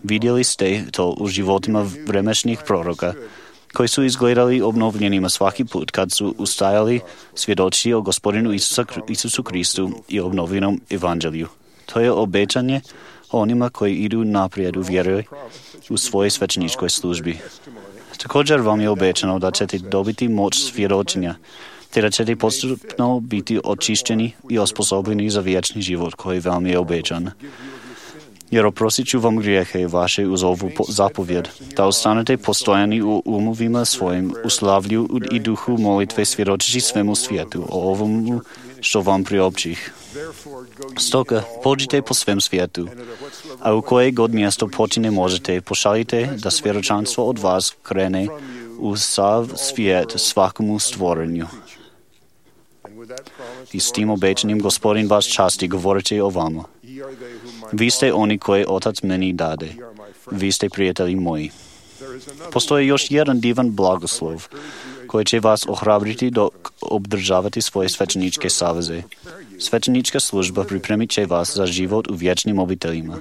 Vidjeli ste to u životima vremešnih proroka, koji su izgledali obnovljenima svaki put kad su ustajali svjedočiti o Gospodinu Isusu Kristu i obnovljenom evanđelju. To je obećanje onima koji idu naprijed u vjeri u svojoj svećeničkoj službi. Također vam je obećano da ćete dobiti moć svjedočenja, te da ćete postupno biti očišćeni i osposobljeni za vječni život koji vam je obećan. Jer oprostit ću vam grijehe vaše uz ovu zapovjed, da ostanete postojani u umovima svojim, u slavlju i duhu molitve svjedočeći svemu svijetu o ovomu što vam priopćih. Stoga pođite po svem svijetu, a u koje god mjesto počine možete, pošaljite da svjedočanstvo od vas krene u sav svijet svakomu stvorenju. I s tim obećanjem Gospodin vas časti govoreći o vama. Vi ste oni koje Otac meni dade. Vi ste prijatelji moji. Postoji još jedan divan blagoslov koji će vas ohrabriti dok obdržavate svoje svećeničke saveze. Svećenička služba pripremit će vas za život u vječnim obiteljima.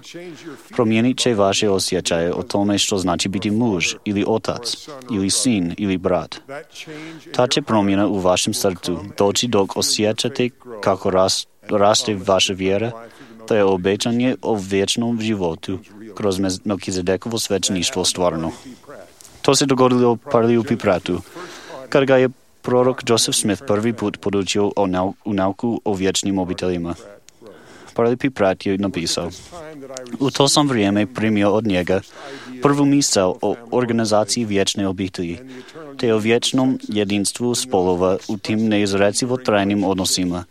Promijenit će vaše osjećaje o tome što znači biti muž ili otac ili sin ili brat. Ta će promjena u vašem srcu doći dok osjećate kako raste vaša vjera. To je obećanje o vječnom životu kroz Melkizedekovo svećeništvo stvarno. To se dogodilo Parley P. Prattu, kad ga je prorok Joseph Smith prvi put podučio u nauku o vječnim obiteljima. Parley P. Pratt je napisao: u to sam vrijeme primio od njega prvu misao o organizaciji vječne obitelji, te o vječnom jedinstvu spolova u tim neizrecivo trajnim odnosima,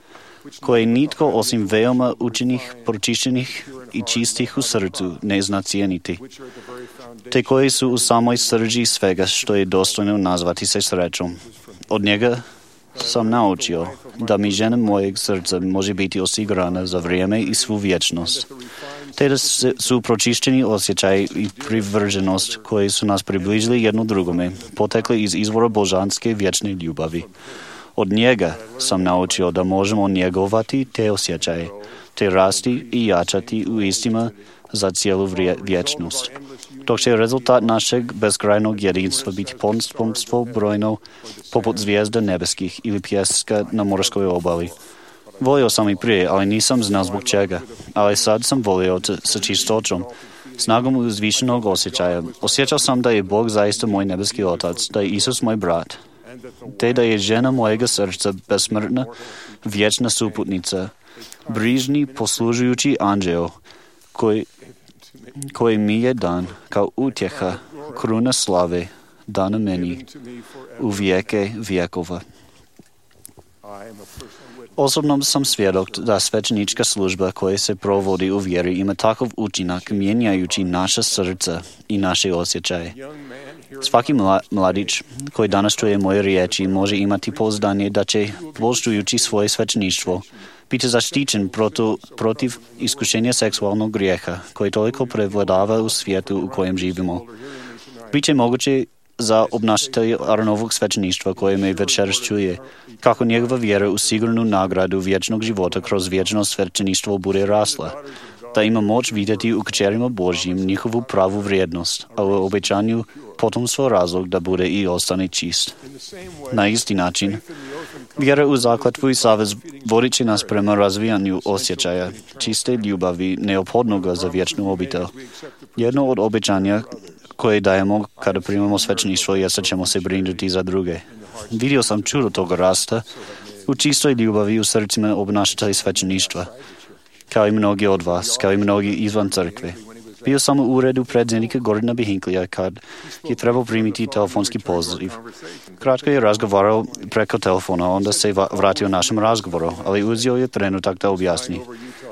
koje nitko osim veoma učenih, pročišćenih i čistih u srcu ne zna cijeniti, te koji su u samoj srži svega što je dostojno nazvati se srećom. Od njega sam naučio da mi žena mojeg srca može biti osigurana za vrijeme i svu vječnost, te da su pročišćeni osjećaj i privrženost koji su nas približili jedno drugome, potekli iz izvora božanske vječne ljubavi. Od njega sam naučio da možemo njegovati te osjećaje, te rasti i jačati u istima za cijelu vječnost. Dok će rezultat našeg bezkrajnog jedinstva biti potomstvo brojno poput zvijezda nebeskih ili pjeska na morskoj obali. Volio sam i prije, ali nisam znao zbog čega. Ali sad sam volio sa čistoćom, snagom uzvišenog osjećaja. Osjećao sam da je Bog zaista moj nebeski otac, da je Isus moj brat, te da je žena mojega srca besmrtna, vječna suputnica, brižni poslužujući anđeo, koji mi je dan kao utjeha, kruna slave, dana meni u vijeke vjekova. Osobno sam svjedok da svećenička služba koja se provodi u vjeri ima takav učinak mijenjajući naša srca i naše osjećaje. Svaki mladić koji danas čuje moje riječi može imati pouzdanje da će, poštujući svoje svećeništvo, biti zaštićen protiv iskušenja seksualnog grijeha koji toliko prevladava u svijetu u kojem živimo. Biće moguće za obnašatelja Aaronovog svećeništva koje me večeras čuje, kako njegova vjera u sigurnu nagradu vječnog života kroz vječno svećeništvo bude rasla, da ima moć vidjeti u kćerima Božjim njihovu pravu vrijednost, a u obećanju potomstvo razlog da bude i ostane čist. Na isti način, vjera u zakletvu i savez vodit će nas prema razvijanju osjećaja, čiste ljubavi neophodnoga za vječnu obitelj. Jedno od obećanja koje dajemo kada primamo svećeništvo je da ćemo se brinuti za druge. Vidio sam čudo toga rasta u čistoj ljubavi u srcima obnašatelja svećeništva, kao i mnogi od vas, kao i mnogi izvan crkve. Bio sam u uredu predsjednika Gordona B. Hinckleyja kad je trebao primiti telefonski poziv. Kratko je razgovarao preko telefona, onda se vratio našem razgovoru, ali uzeo je trenutak da objasni.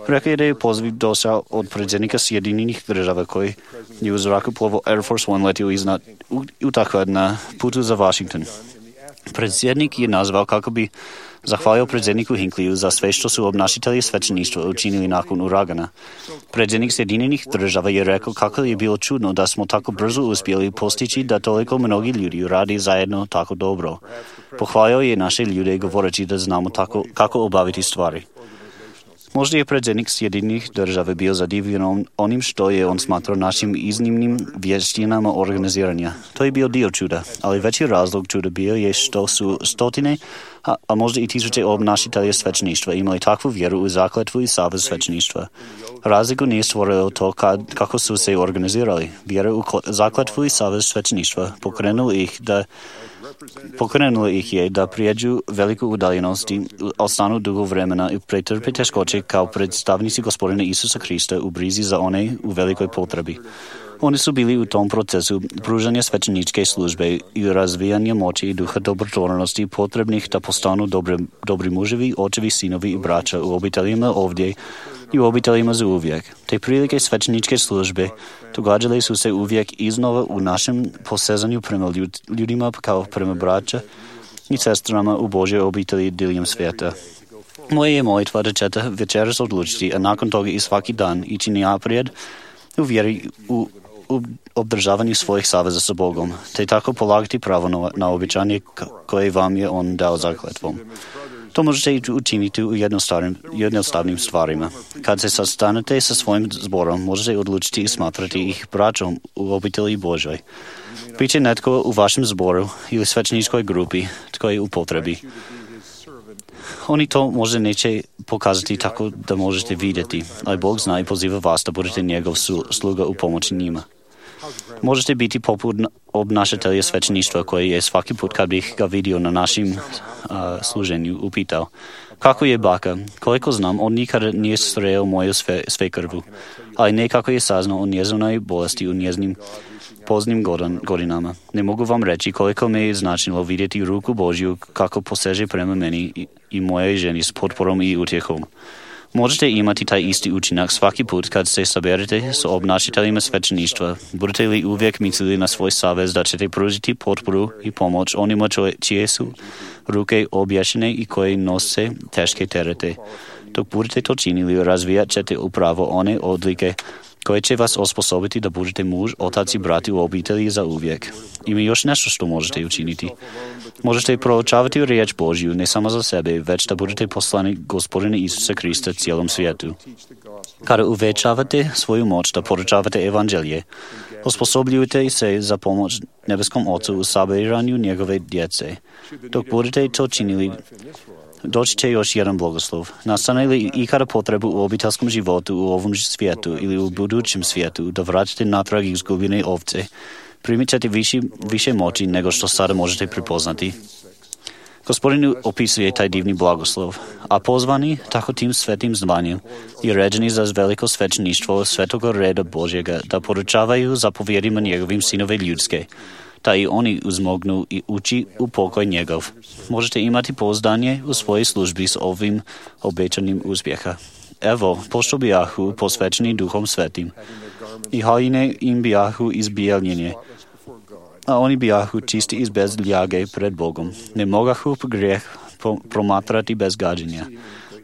Rekao je da je poziv došao od predsjednika Sjedinjenih država koji je u zrakoplovu Air Force One letio iznad Utah na putu za Washington. Predsjednik je nazvao kako bi zahvalio predsjedniku Hinkliju za sve što su obnašitelji svećeništva učinili nakon uragana. Predsjednik Sjedinjenih država je rekao kako je bilo čudno da smo tako brzo uspjeli postići da toliko mnogi ljudi radi zajedno tako dobro. Pohvalio je naše ljude govoreći da znamo kako obaviti stvari. Možda je predsjednik Sjedinjenih država bio zadivljen onim što je on smatrao našim iznimnim vještinama organiziranja. To je bio dio čuda, ali veći razlog čuda bio je što su stotine, a možda i tisuće obnašitelja svećeništva imali takvu vjeru u zakletvu i savez svećeništva. Razliku nije stvorilo to kako su se organizirali. Vjera u zakletvu i savez svećeništva pokrenulo ih je da prijeđu veliku udaljenost i ostanu dugo vremena i pretrpe teškoće kao predstavnici Gospodina Isusa Krista u brizi za one u velikoj potrebi. Oni su bili u tom procesu pružanja svećeničke službe i razvijanja moći i duha dobrotvornosti potrebnih da postanu dobri muževi, očevi, sinovi i braća u obiteljima ovdje i u obiteljima za uvijek. Te prilike svećeničke službe događale su se uvijek iznova u našem posezanju prema ljudima kao prema braća i sestrama u Božjoj obitelji diljem svijeta. Moje je molitva da ćete večeras odlučiti, a nakon toga i svaki dan ići naprijed u vjeri u obdržavanju svojih saveza sa Bogom, te tako polagati pravo na obećanje koje vam je On dao zakletvom. To možete učiniti u jednostavnim stvarima. Kad se sastanete sa svojim zborom, možete odlučiti i smatrati ih braćom u obitelji Božoj. Biće netko u vašem zboru ili svećeničkoj grupi tko je u potrebi. Oni to možda neće pokazati tako da možete vidjeti, ali Bog zna i poziva vas da budete njegov sluga u pomoći njima. Možete biti poput obnašatelja svećeništva koji je svaki put kad bih ga vidio na našim služenju upitao: kako je baka? Koliko znam, on nikada nije sreo moju svekrvu, ali nekako je saznao o njezinoj bolesti u njezinim poznim godinama. Ne mogu vam reći koliko me je značilo vidjeti ruku Božju kako poseže prema meni i mojoj ženi s potporom i utjehom. Možete imati taj isti učinak svaki put kad se saberete s obnašiteljima svećeništva. Budete li uvijek mislili na svoj savez da ćete pružiti potporu i pomoć onima čije su ruke obješene i koji nose teške terete. Dok budete to činili, razvijat ćete upravo one odlike koje će vas osposobiti da budete muž, otac i brati u obitelji za uvijek. Ima još nešto što možete učiniti. Možete proučavati riječ Božju ne samo za sebe, već da budete poslani Gospodina Isusa Krista cijelom svijetu. Kada uvećavate svoju moć da poručavate evanđelje, osposobljujete se za pomoć nebeskom Ocu u sabiranju njegove djece. Dok budete to činili, doći će još jedan blagoslov. Nastane li ikada potrebu u obiteljskom životu u ovom svijetu ili u budućem svijetu da vratite natrag izgubljene ovce, primit ćete više moći nego što sada možete prepoznati. Gospodin opisuje taj divni blagoslov, a pozvani tako tim svetim zvanjem i ređeni za veliko svećeništvo svetoga reda Božjega da poručavaju zapovjedima njegovim sinove ljudske, da i oni uzmognu i ući u pokoj njegov. Možete imati pouzdanje u svojoj službi s ovim obećanim uspjeha. Evo, pošto bijahu posvećeni Duhom Svetim, i haljine im bijahu izbijeljenje, a oni bijahu čisti i bez ljage pred Bogom. Ne mogahu grijeh promatrati bez gađenja.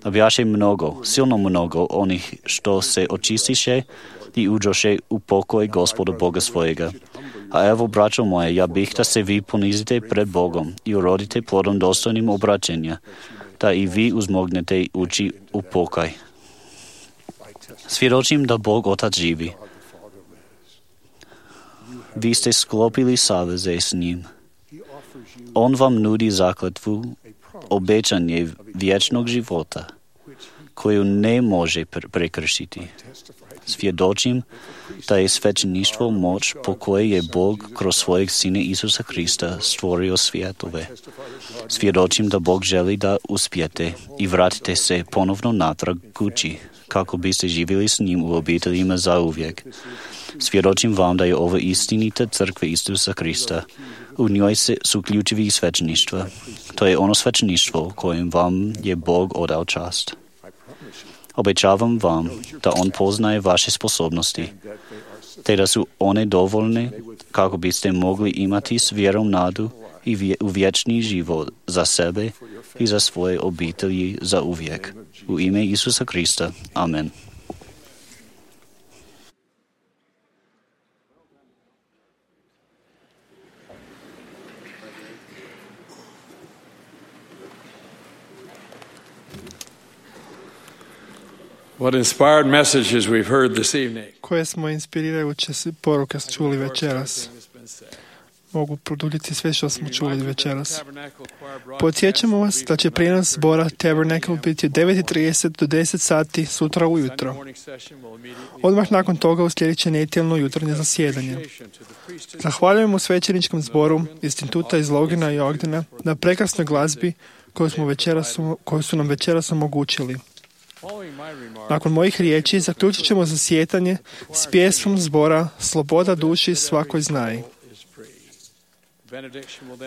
A bijaše mnogo, silno mnogo onih što se očistiše i uđoše u pokoj Gospoda Boga svojega. A evo, braćo moje, ja bih da se vi ponizite pred Bogom i urodite plodom dostojnim obraćenja, da i vi uzmognete ući u pokoj. Svjedočim da Bog Otac živi. Vi ste sklopili saveze s njim. On vam nudi zakletvu, obećanje vječnog života, koju ne može prekršiti. Svjedočim da je svećeništvo moć po kojoj je Bog kroz svojeg Sina Isusa Krista stvorio svjetove. Svjedočim da Bog želi da uspijete i vratite se ponovno natrag kući, kako biste živjeli s njim u obiteljima zauvijek. Svjedočim vam da je ovo istinita crkva Isusa Krista. U njoj su ključevi svećeništva. To je ono svećeništvo kojim vam je Bog odao čast. Obećavam vam da On poznaje vaše sposobnosti, te da su one dovoljne kako biste mogli imati s vjerom nadu i u vječni život za sebe i za svoje obitelji za uvijek. U ime Isusa Krista. Amen. What inspired messages we've heard this evening. Koje smo inspirirajuće poruke čuli večeras. Mogu produljiti sve što smo čuli večeras. Podsjećamo vas da će prijenos zbora Tabernacle biti od 9:30 do 10 sati sutra ujutro. Odmah nakon toga uslijedit će nedjeljno jutarnje zasjedanje. Zahvaljujemo svećeničkom zboru Instituta iz Logana i Ogdena na prekrasnoj glazbi koju su nam večeras omogućili. Nakon mojih riječi zaključit ćemo zasjedanje s pjesmom zbora Sloboda duši svakoj znaj.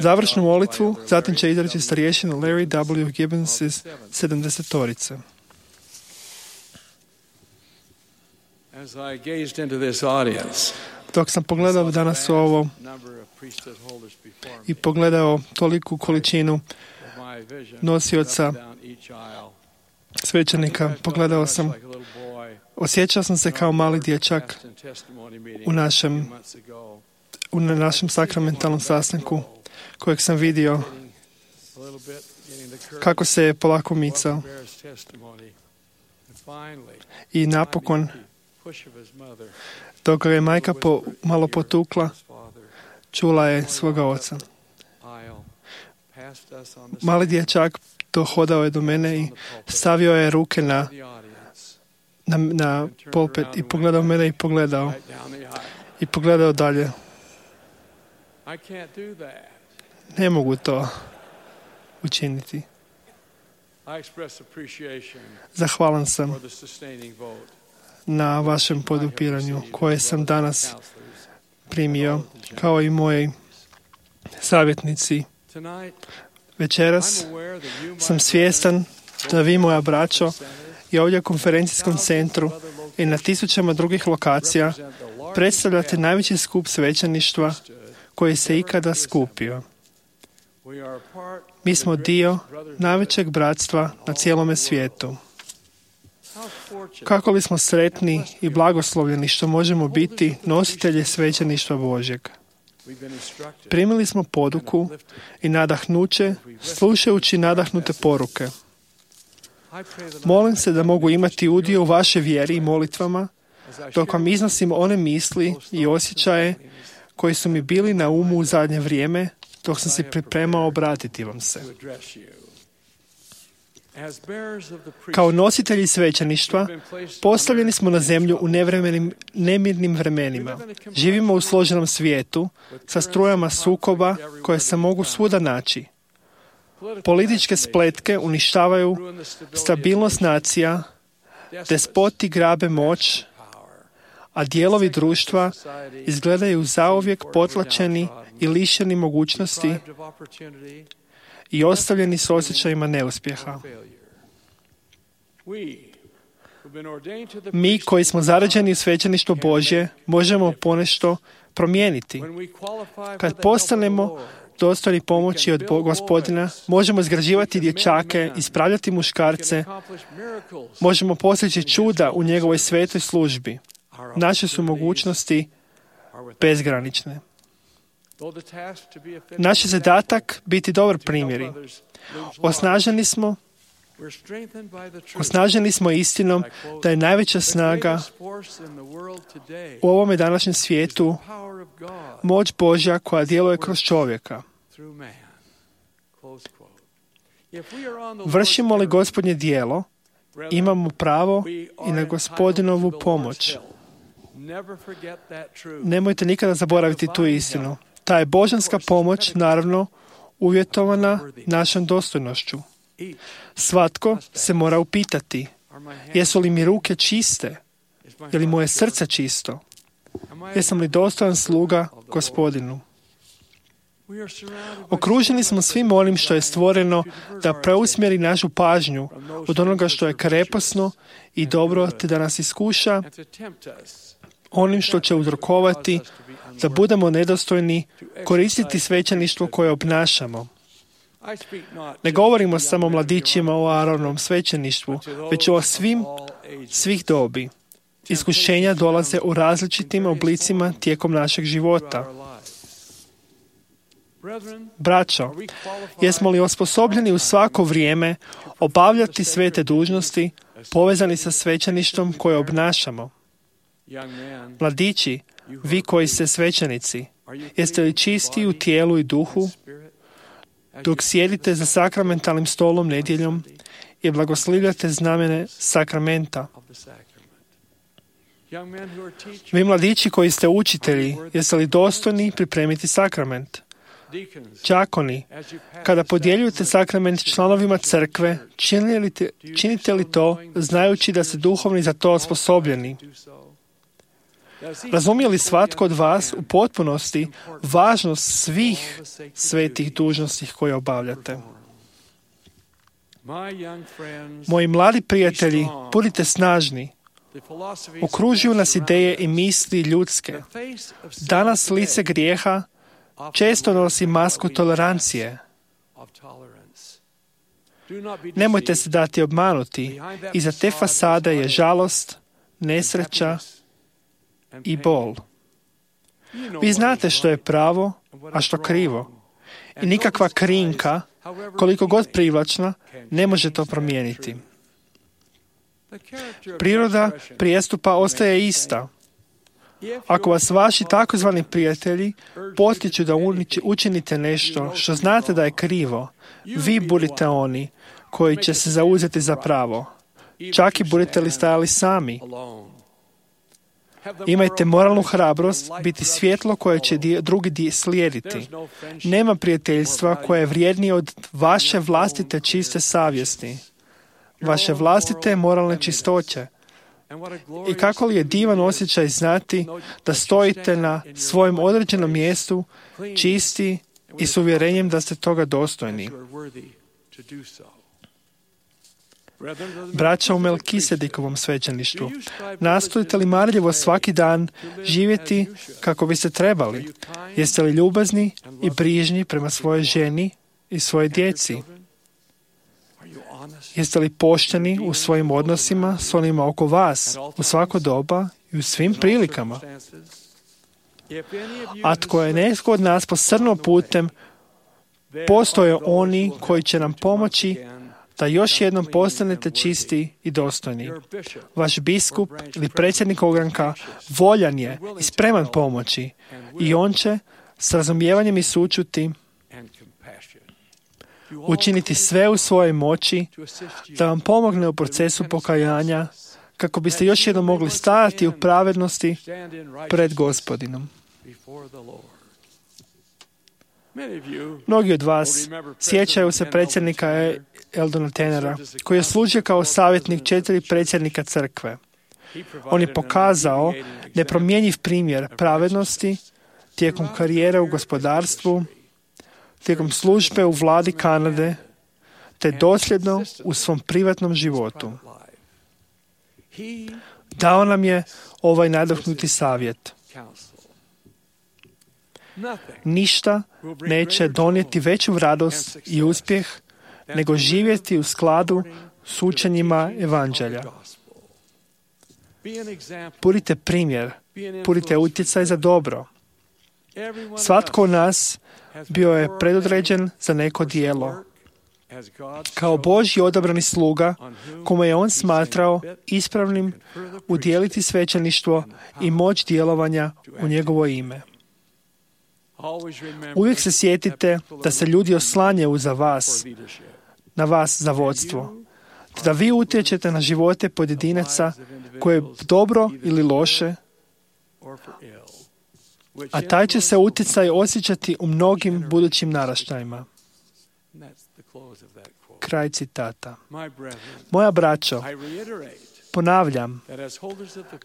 Završnu molitvu zatim će izreći starješina Larry W. Gibbons iz 70-torice. Dok sam pogledao danas ovo i pogledao toliku količinu nosioca svećenika, osjećao sam se kao mali dječak u našem sakramentalnom sastanku kojeg sam vidio kako se je polako micao. I napokon, dok ga je majka malo potukla, čula je svoga oca. Mali dječak dohodao je do mene i stavio je ruke na pulpit i pogledao mene i pogledao dalje. Ne mogu to učiniti. Zahvalan sam na vašem podupiranju koje sam danas primio, kao i moji savjetnici. Večeras sam svjestan da vi, moja braćo, i ovdje u konferencijskom centru i na tisućama drugih lokacija predstavljate najveći skup svećeništva koji se ikada skupio. Mi smo dio najvećeg bratstva na cijelome svijetu. Kako li smo sretni i blagoslovljeni što možemo biti nositelji svećeništva Božjeg. Primili smo poduku i nadahnuće slušajući nadahnute poruke. Molim se da mogu imati udio u vašoj vjeri i molitvama dok vam iznosim one misli i osjećaje koji su mi bili na umu u zadnje vrijeme dok sam se pripremao obratiti vam se. Kao nositelji svećeništva postavljeni smo na zemlju u nemirnim vremenima. Živimo u složenom svijetu sa strujama sukoba koje se mogu svuda naći. Političke spletke uništavaju stabilnost nacija, despoti grabe moć, a dijelovi društva izgledaju zauvijek potlačeni i lišeni mogućnosti i ostavljeni s osjećajima neuspjeha. Mi koji smo zarađeni u svećeništvo Božje možemo ponešto promijeniti. Kad postanemo dostojni pomoći od Gospodina, možemo izgrađivati dječake, ispravljati muškarce, možemo postići čuda u njegovoj svetoj službi. Naše su mogućnosti bezgranične. Naš je zadatak biti dobar primjeri. Osnaženi smo istinom da je najveća snaga u ovome današnjem svijetu moć Božja koja djeluje kroz čovjeka. Vršimo li Gospodnje djelo, imamo pravo i na Gospodinovu pomoć. Nemojte nikada zaboraviti tu istinu. Ta je božanska pomoć, naravno, uvjetovana našom dostojnošću. Svatko se mora upitati, jesu li mi ruke čiste? Je li moje srce čisto? Jesam li dostojan sluga Gospodinu? Okruženi smo svim onim što je stvoreno da preusmjeri našu pažnju od onoga što je krepasno i dobro, te da nas iskuša onim što će uzrokovati da budemo nedostojni koristiti svećeništvo koje obnašamo. Ne govorimo samo o mladićima o Aaronom svećeništvu, već o svih dobi. Iskušenja dolaze u različitim oblicima tijekom našeg života. Braćo, jesmo li osposobljeni u svako vrijeme obavljati sve te dužnosti povezani sa svećeništvom koje obnašamo? Mladići, vi koji ste svećenici, jeste li čisti u tijelu i duhu dok sjedite za sakramentalnim stolom nedjeljom i blagoslivljate znamene sakramenta? Vi mladići koji ste učitelji, jeste li dostojni pripremiti sakrament? Đakoni, kada podjeljujete sakrament članovima crkve, činite li to znajući da ste duhovni za to osposobljeni? Razumije li svatko od vas u potpunosti važnost svih svetih dužnosti koje obavljate? Moji mladi prijatelji, budite snažni. Okružuju nas ideje i misli ljudske. Danas lice grijeha često nosi masku tolerancije. Nemojte se dati obmanuti. Iza te fasade je žalost, nesreća i bol. Vi znate što je pravo, a što krivo. I nikakva krinka, koliko god privlačna, ne može to promijeniti. Priroda prijestupa ostaje ista. Ako vas vaši takozvani prijatelji potiču da učinite nešto što znate da je krivo, vi budite oni koji će se zauzeti za pravo. Čak i budete li stajali sami. Imajte moralnu hrabrost biti svjetlo koje će drugi slijediti. Nema prijateljstva koje je vrijednije od vaše vlastite čiste savjesti, vaše vlastite moralne čistoće. I kako li je divan osjećaj znati da stojite na svojem određenom mjestu, čisti i s uvjerenjem da ste toga dostojni. Braća u Melkisedikovom svećeništvu, nastojite li marljivo svaki dan živjeti kako biste trebali? Jeste li ljubazni i brižni prema svojoj ženi i svojoj djeci? Jeste li pošteni u svojim odnosima s onima oko vas u svako doba i u svim prilikama? A tko je netko od nas posrnuo putem, postoje oni koji će nam pomoći da još jednom postanete čisti i dostojni. Vaš biskup ili predsjednik ogranka voljan je i spreman pomoći i on će s razumijevanjem i sućuti učiniti sve u svojoj moći da vam pomogne u procesu pokajanja kako biste još jednom mogli stajati u pravednosti pred Gospodinom. Mnogi od vas sjećaju se predsjednika Eldona Tenera, koji je služio kao savjetnik 4 predsjednika crkve. On je pokazao nepromjenjiv primjer pravednosti tijekom karijere u gospodarstvu, tijekom službe u vladi Kanade, te dosljedno u svom privatnom životu. Dao nam je ovaj nadahnuti savjet. Ništa neće donijeti veću radost i uspjeh nego živjeti u skladu s učenjima evanđelja. Budite primjer, budite utjecaj za dobro. Svatko od nas bio je predodređen za neko djelo. Kao Božji odabrani sluga, kome je on smatrao ispravnim udjeliti svećeništvo i moć djelovanja u njegovo ime. Uvijek se sjetite da se ljudi oslanjaju na vas za vodstvo, te da vi utječete na živote pojedinaca koje dobro ili loše, a taj će se utjecaj osjećati u mnogim budućim naraštajima. Kraj citata. Moja braćo, ponavljam,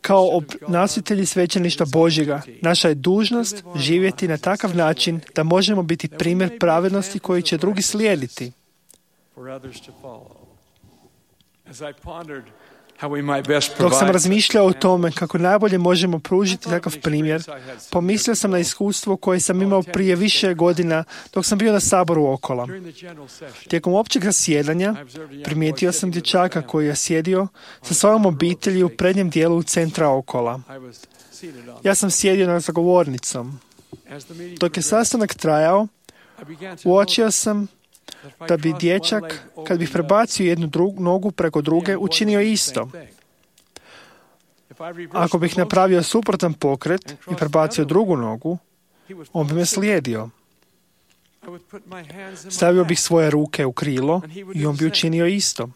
kao nositelji svećeništva Božjega, naša je dužnost živjeti na takav način da možemo biti primjer pravednosti koji će drugi slijediti. Dok sam razmišljao o tome kako najbolje možemo pružiti takav primjer, pomislio sam na iskustvo koje sam imao prije više godina dok sam bio na saboru Okola. Tijekom općeg zasjedanja primijetio sam dječaka koji je sjedio sa svojom obitelji u prednjem dijelu centra Okola. Ja sam sjedio za govornicom. Dok je sastanak uočio sam da bi dječak, kad bih prebacio jednu nogu preko druge, učinio isto. Ako bih napravio suprotan pokret i prebacio drugu nogu, on bi me slijedio. Stavio bih svoje ruke u krilo i on bi učinio isto.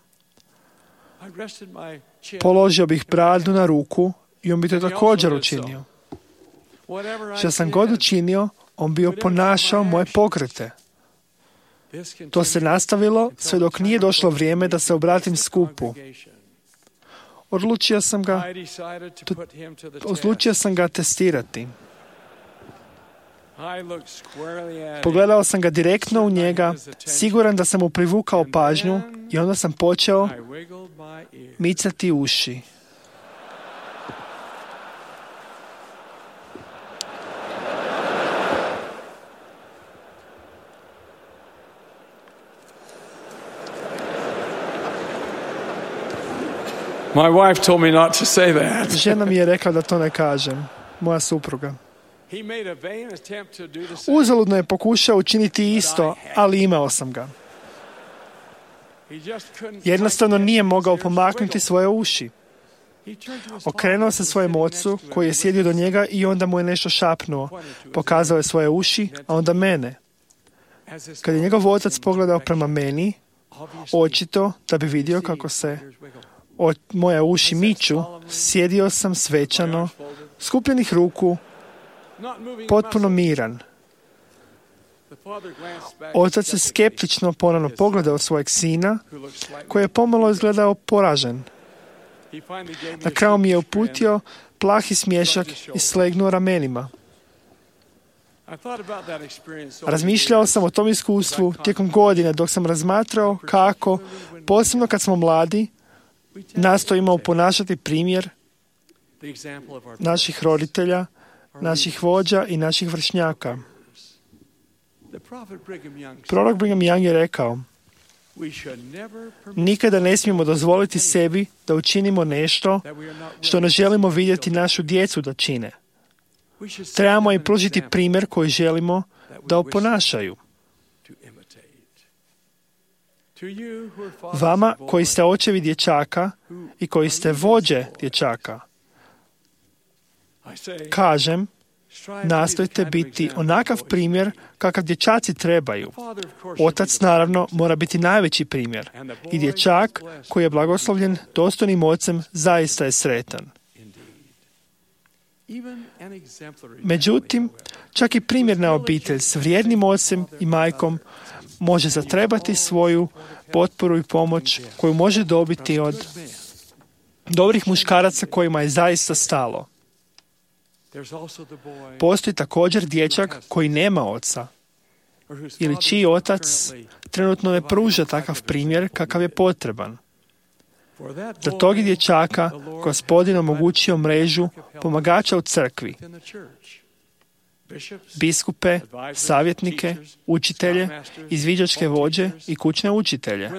Položio bih bradu na ruku i on bi to također učinio. Što sam god učinio, on bi oponašao moje pokrete. To se nastavilo sve dok nije došlo vrijeme da se obratim skupu. Odlučio sam ga testirati. Pogledao sam ga direktno u njega, siguran da sam mu privukao pažnju, i onda sam počeo micati uši. My wife told me not to say that. Žena mi je rekla da to ne kažem, moja supruga. Uzaludno je pokušao učiniti isto, ali imao sam ga. Jednostavno nije mogao pomaknuti svoje uši. Okrenuo se svojem ocu koji je sjedio do njega i onda mu je nešto šapnuo. Pokazao je svoje uši, a onda mene. Kad je njegov otac pogledao prema meni, očito da bi vidio kako se moje uši miču, sjedio sam svečano, skupljenih ruku, potpuno miran. Otac je skeptično ponovno pogledao svojeg sina, koji je pomalo izgledao poražen. Na kraju mi je uputio plahi smiješak i slegnuo ramenima. Razmišljao sam o tom iskustvu tijekom godine dok sam razmatrao kako, posebno kad smo mladi, nastojimo ponašati primjer naših roditelja, naših vođa i naših vršnjaka. Prorok Brigham Young je rekao: nikada ne smijemo dozvoliti sebi da učinimo nešto što ne želimo vidjeti našu djecu da čine. Trebamo im pružiti primjer koji želimo da oponašaju. Vama koji ste očevi dječaka i koji ste vođe dječaka, kažem, nastojte biti onakav primjer kakav dječaci trebaju. Otac, naravno, mora biti najveći primjer. I dječak koji je blagoslovljen dostojnim ocem zaista je sretan. Međutim, čak i primjerna obitelj s vrijednim ocem i majkom može zatrebati svoju potporu i pomoć koju može dobiti od dobrih muškaraca kojima je zaista stalo. Postoji također dječak koji nema oca ili čiji otac trenutno ne pruža takav primjer kakav je potreban. Za tog dječaka Gospodin omogućio mrežu pomagača u crkvi, biskupe, savjetnike, učitelje, izviđačke vođe i kućne učitelje.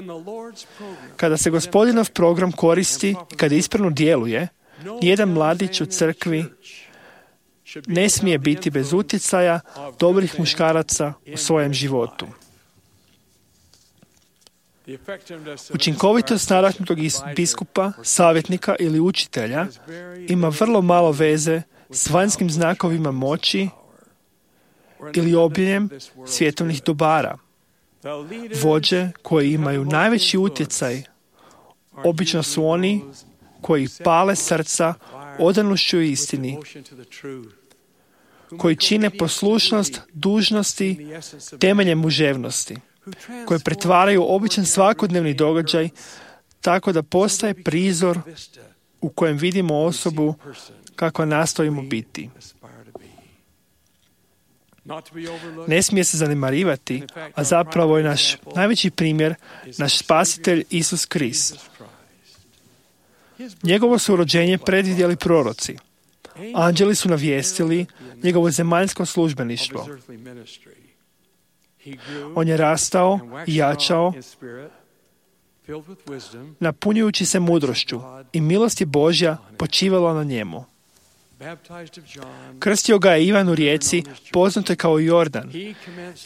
Kada se Gospodinov program koristi i kada ispravno djeluje, nijedan mladić u crkvi ne smije biti bez utjecaja dobrih muškaraca u svojem životu. Učinkovitost nadahnutog biskupa, savjetnika ili učitelja ima vrlo malo veze s vanjskim znakovima moći ili obiljem svjetovnih dobara. Vođe koji imaju najveći utjecaj obično su oni koji pale srca odanošću istini, koji čine poslušnost dužnosti temeljem muževnosti, koje pretvaraju običan svakodnevni događaj tako da postaje prizor u kojem vidimo osobu kakva nastojimo biti. Ne smije se zanemarivati, a zapravo je naš najveći primjer naš spasitelj Isus Krist. Njegovo su rođenje predvidjeli proroci. Anđeli su navijestili njegovo zemaljsko službeništvo. On je rastao i jačao, napunjujući se mudrošću, i milost je Božja počivala na njemu. Krstio ga je Ivan u rijeci, poznatoj kao Jordan,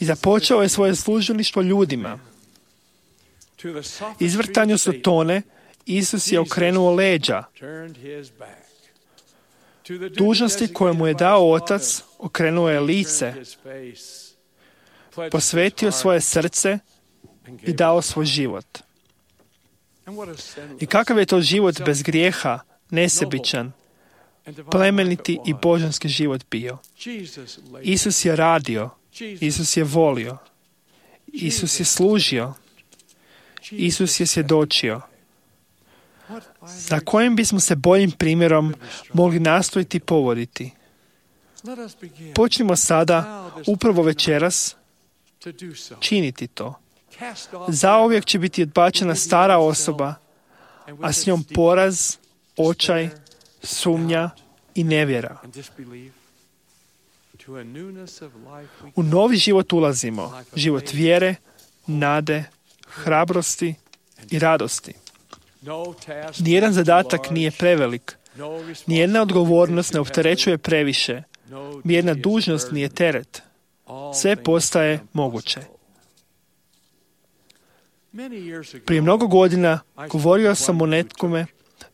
i započeo je svoje službeništvo ljudima. Izvrtanju Sotone Isus je okrenuo leđa. Dužnosti koje mu je dao Otac okrenuo je lice, posvetio svoje srce i dao svoj život. I kakav je to život bez grijeha, nesebičan, plemeniti i božanski život bio. Isus je radio, Isus je volio, Isus je služio, Isus je svjedočio. Za kojim bismo se boljim primjerom mogli nastojiti povoditi? Počnimo sada, upravo večeras, činiti to. Zauvijek će biti odbačena stara osoba, a s njom poraz, očaj, sumnja i nevjera. U novi život ulazimo, život vjere, nade, hrabrosti i radosti. Nijedan zadatak nije prevelik, nijedna odgovornost ne opterećuje previše, nijedna dužnost nije teret. Sve postaje moguće. Prije mnogo godina govorio sam o nekome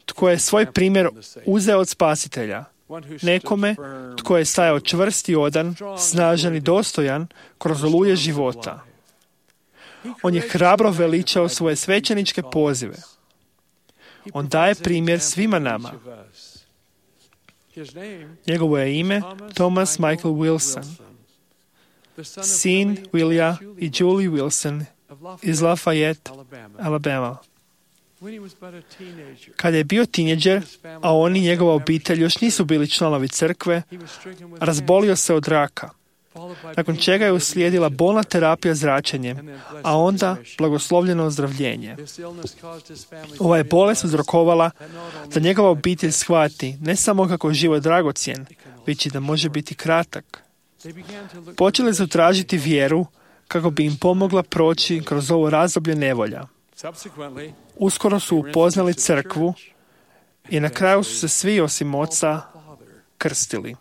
tko je svoj primjer uzeo od Spasitelja. Nekome tko je stajao čvrst i odan, snažan i dostojan kroz oluje života. On je hrabro veličao svoje svećeničke pozive. On daje primjer svima nama. Njegovo je ime Thomas Michael Wilson, sin Willija i Julie Wilson iz Lafayette, Alabama. Kad je bio tineđer, a on i njegova obitelj još nisu bili članovi crkve, razbolio se od raka, nakon čega je uslijedila bolna terapija zračenjem, a onda blagoslovljeno ozdravljenje. Ova je bolest uzrokovala da njegova obitelj shvati ne samo kako je život dragocjen, već i da može biti kratak. Počeli su tražiti vjeru kako bi im pomogla proći kroz ovo razdoblje nevolja. Uskoro su upoznali crkvu i na kraju su se svi osim oca krstili.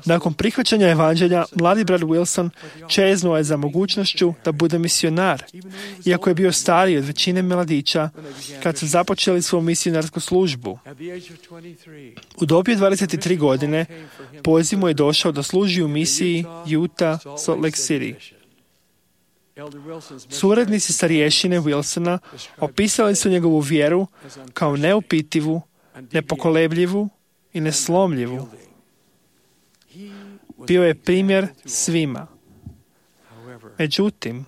Nakon prihvaćanja evanđelja, mladi brat Wilson čeznuo je za mogućnošću da bude misionar, iako je bio stariji od većine mladića kad su započeli svoju misionarsku službu. U dobi 23 godine poziv mu je došao da služi u misiji Utah, Salt Lake City. Suradnici starješine Wilsona opisali su njegovu vjeru kao neupitivu, nepokolebljivu i neslomljivu. Bio je primjer svima. Međutim,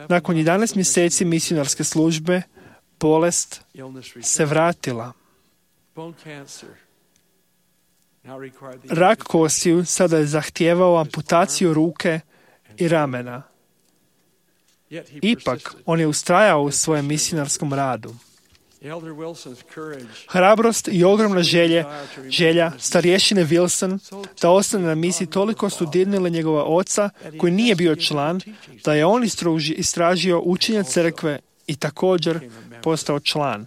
nakon 11 mjeseci misionarske službe, bolest se vratila. Rak kostiju sada je zahtijevao amputaciju ruke i ramena. Ipak, on je ustrajao u svojem misionarskom radu. Hrabrost i ogromna želja starješine Wilson da ostane na misiji toliko su dirnile njegova oca, koji nije bio član, da je on istražio učenja crkve i također postao član.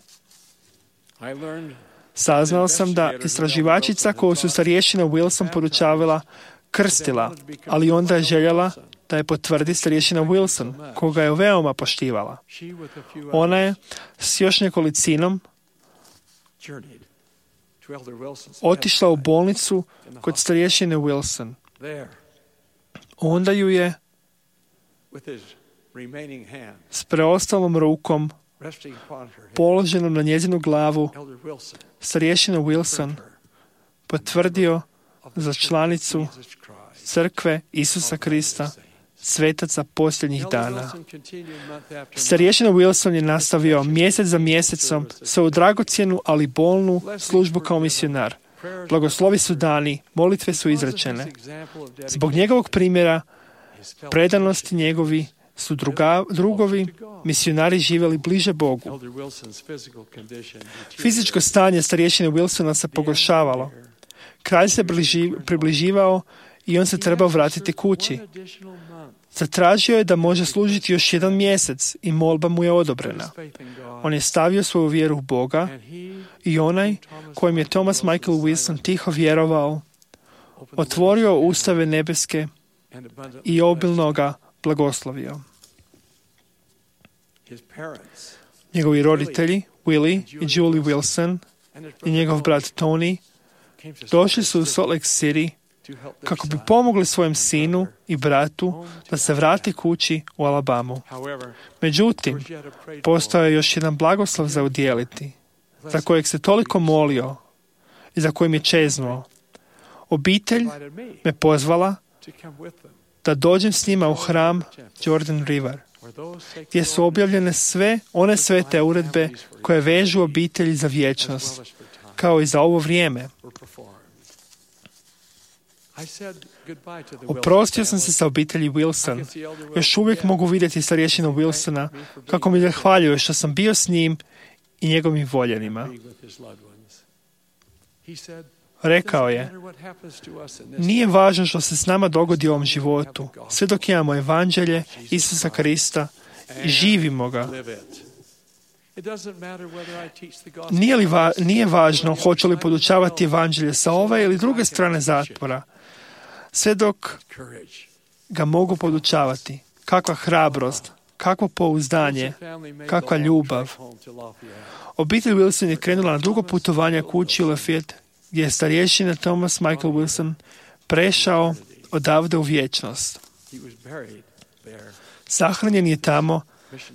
Saznao sam da istraživačica koju su starješina Wilson podučavala krstila, ali onda je željela da je potvrdi starješina Wilson, koga je veoma poštivala. Ona je s još nekolicinom otišla u bolnicu kod starješine Wilson. Onda ju je s preostalom rukom položenom na njezinu glavu starješina Wilson potvrdio za članicu crkve Isusa Krista, svetaca posljednjih dana. Starješina Wilson je nastavio mjesec za mjesecom svoju dragocjenu, ali bolnu službu kao misionar. Blagoslovi su dani, molitve su izrečene. Zbog njegovog primjera, predanosti njegovi su drugovi misionari živjeli bliže Bogu. Fizičko stanje starješine Wilsona se pogoršavalo. Kralj se približivao i on se trebao vratiti kući. Zatražio je da može služiti još 1 mjesec i molba mu je odobrena. On je stavio svoju vjeru u Boga i onaj kojem je Thomas Michael Wilson tiho vjerovao, otvorio ustave nebeske i obilno ga blagoslovio. Njegovi roditelji, Willie i Julie Wilson i njegov brat Tony, došli su u Salt Lake City kako bi pomogli svojem sinu i bratu da se vrati kući u Alabamu. Međutim, postao je još jedan blagoslov za udjeliti, za kojeg se toliko molio i za kojim je čeznuo. Obitelj me pozvala da dođem s njima u hram Jordan River, gdje su objavljene sve one svete uredbe koje vežu obitelji za vječnost, kao i za ovo vrijeme. Oprostio sam se sa obitelji Wilson. Još uvijek mogu vidjeti starješinu Wilsona kako mi zahvaljuje što sam bio s njim i njegovim voljenima. Rekao je, nije važno što se s nama dogodi u ovom životu, sve dok imamo evanđelje Isusa Krista i živimo ga. Nije važno hoću li podučavati evanđelje sa ove ili druge strane zatvora, sve dok ga mogu podučavati. Kakva hrabrost, kakvo pouzdanje, kakva ljubav. Obitelj Wilson je krenula na dugo putovanje kući u Lafayette, gdje je starješina Thomas Michael Wilson prešao odavde u vječnost. Sahranjen je tamo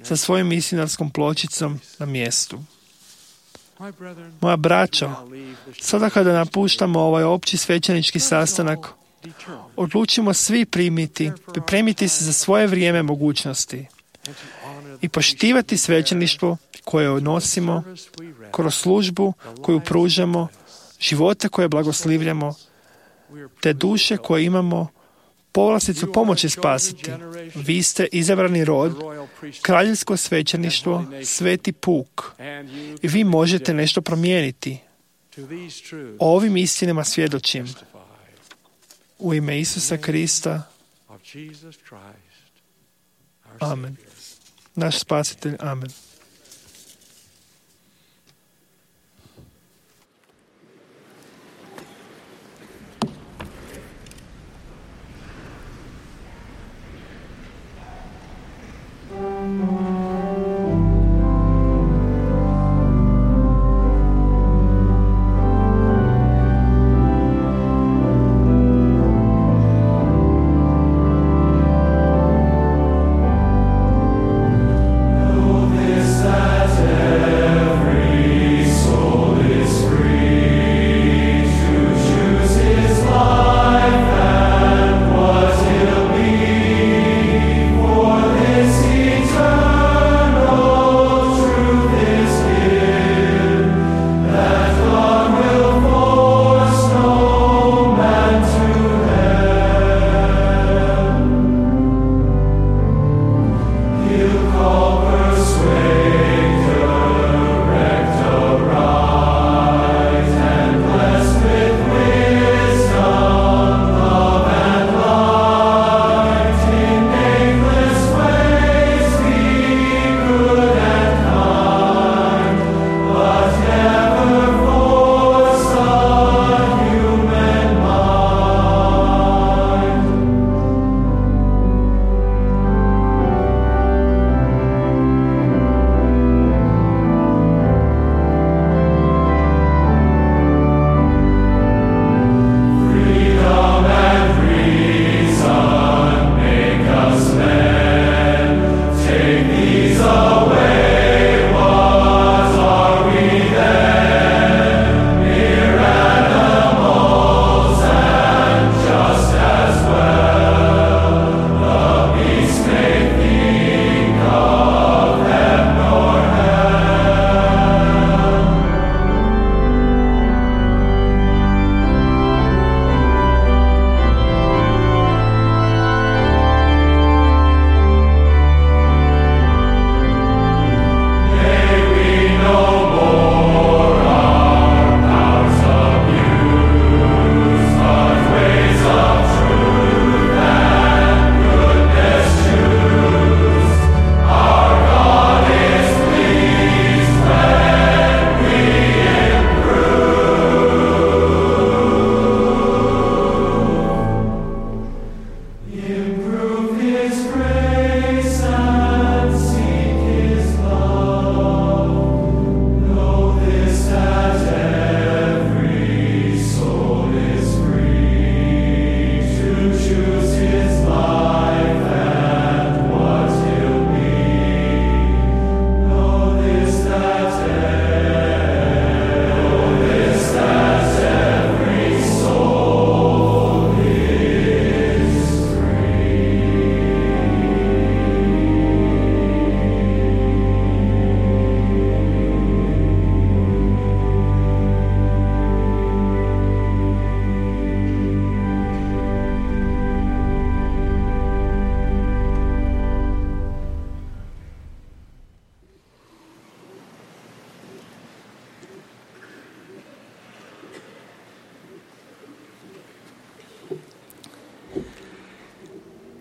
sa svojom misionarskom pločicom na mjestu. Moja braćo, sada kada napuštamo ovaj opći svećenički sastanak, odlučimo svi pripremiti se za svoje vrijeme mogućnosti i poštivati svećeništvo koje nosimo kroz službu koju pružamo, živote koje blagoslivljamo, te duše koje imamo povlasticu pomoći spasiti. Vi ste izabrani rod, kraljevsko svećeništvo, sveti puk. I vi možete nešto promijeniti. O ovim istinama svjedočim. U ime Isusa Krista. Amen. Naš spasitelj. Amen. This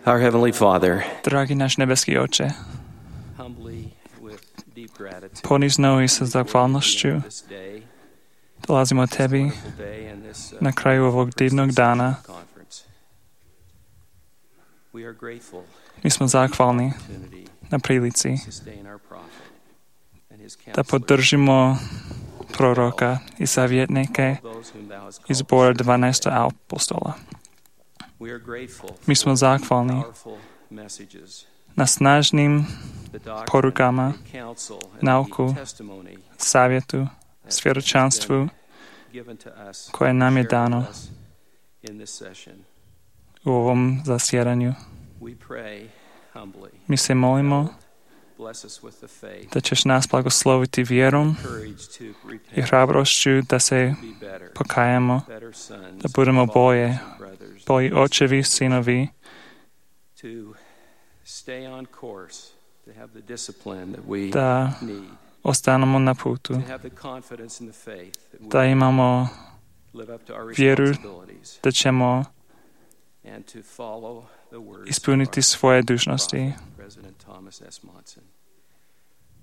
Our Heavenly Father, Dragi náš nebeský Oče, humbly with deep gratitude, ponizno i sa zahvalnošću this day, dolazimo Tebi wonderful day and this na kraju ovog divnog dana. conference. We are grateful Mi smo zahvalni opportunity na prilici to sustain our prophet and his da counselors, podržimo proroka i savjetnike those whom thou hast iz called. zbora 12 apostola. We are grateful Mi smo for zahvalni powerful messages, na snažnim the doctrine, porukama, the counsel, and nauku, the testimony savjetu, svjedočanstvu given to us, koje nam je shared dano with us in this session. u ovom zasjedanju. We pray humbly. Mi se molimo Bless us with the faith, da ćeš nas blagosloviti vjerom courage to i repent, hrabrošću da se be better, pokajamo, better sons, da budemo bolje, fathers, and brothers, bolji očevi, sinovi, to stay on course, to have the discipline that we da need, ostanemo na putu, to have the confidence in the faith that da we imamo live up to our vjeru responsibilities, da ćemo and to follow the words ispuniti of svoje our dužnosti. prophet, President Thomas S. Monson.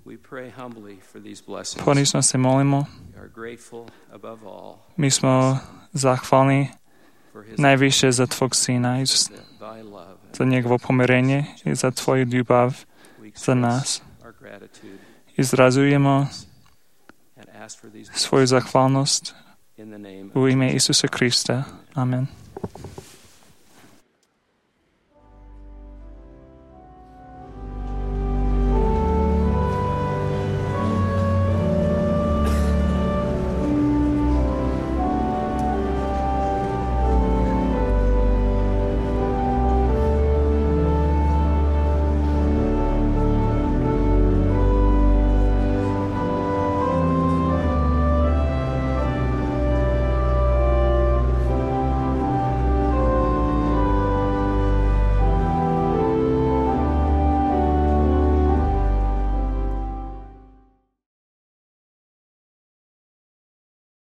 We pray humbly for these blessings. Ponizno se molimo. We are grateful above all Mi smo zahvalni for his najviše za Tvog Sina i thy love, za njegovo pomirenje i za Tvoju ljubav we za nas. express our gratitude Izrazujemo and ask for these svoju zahvalnost in the name u ime Isusa Krista. Amen.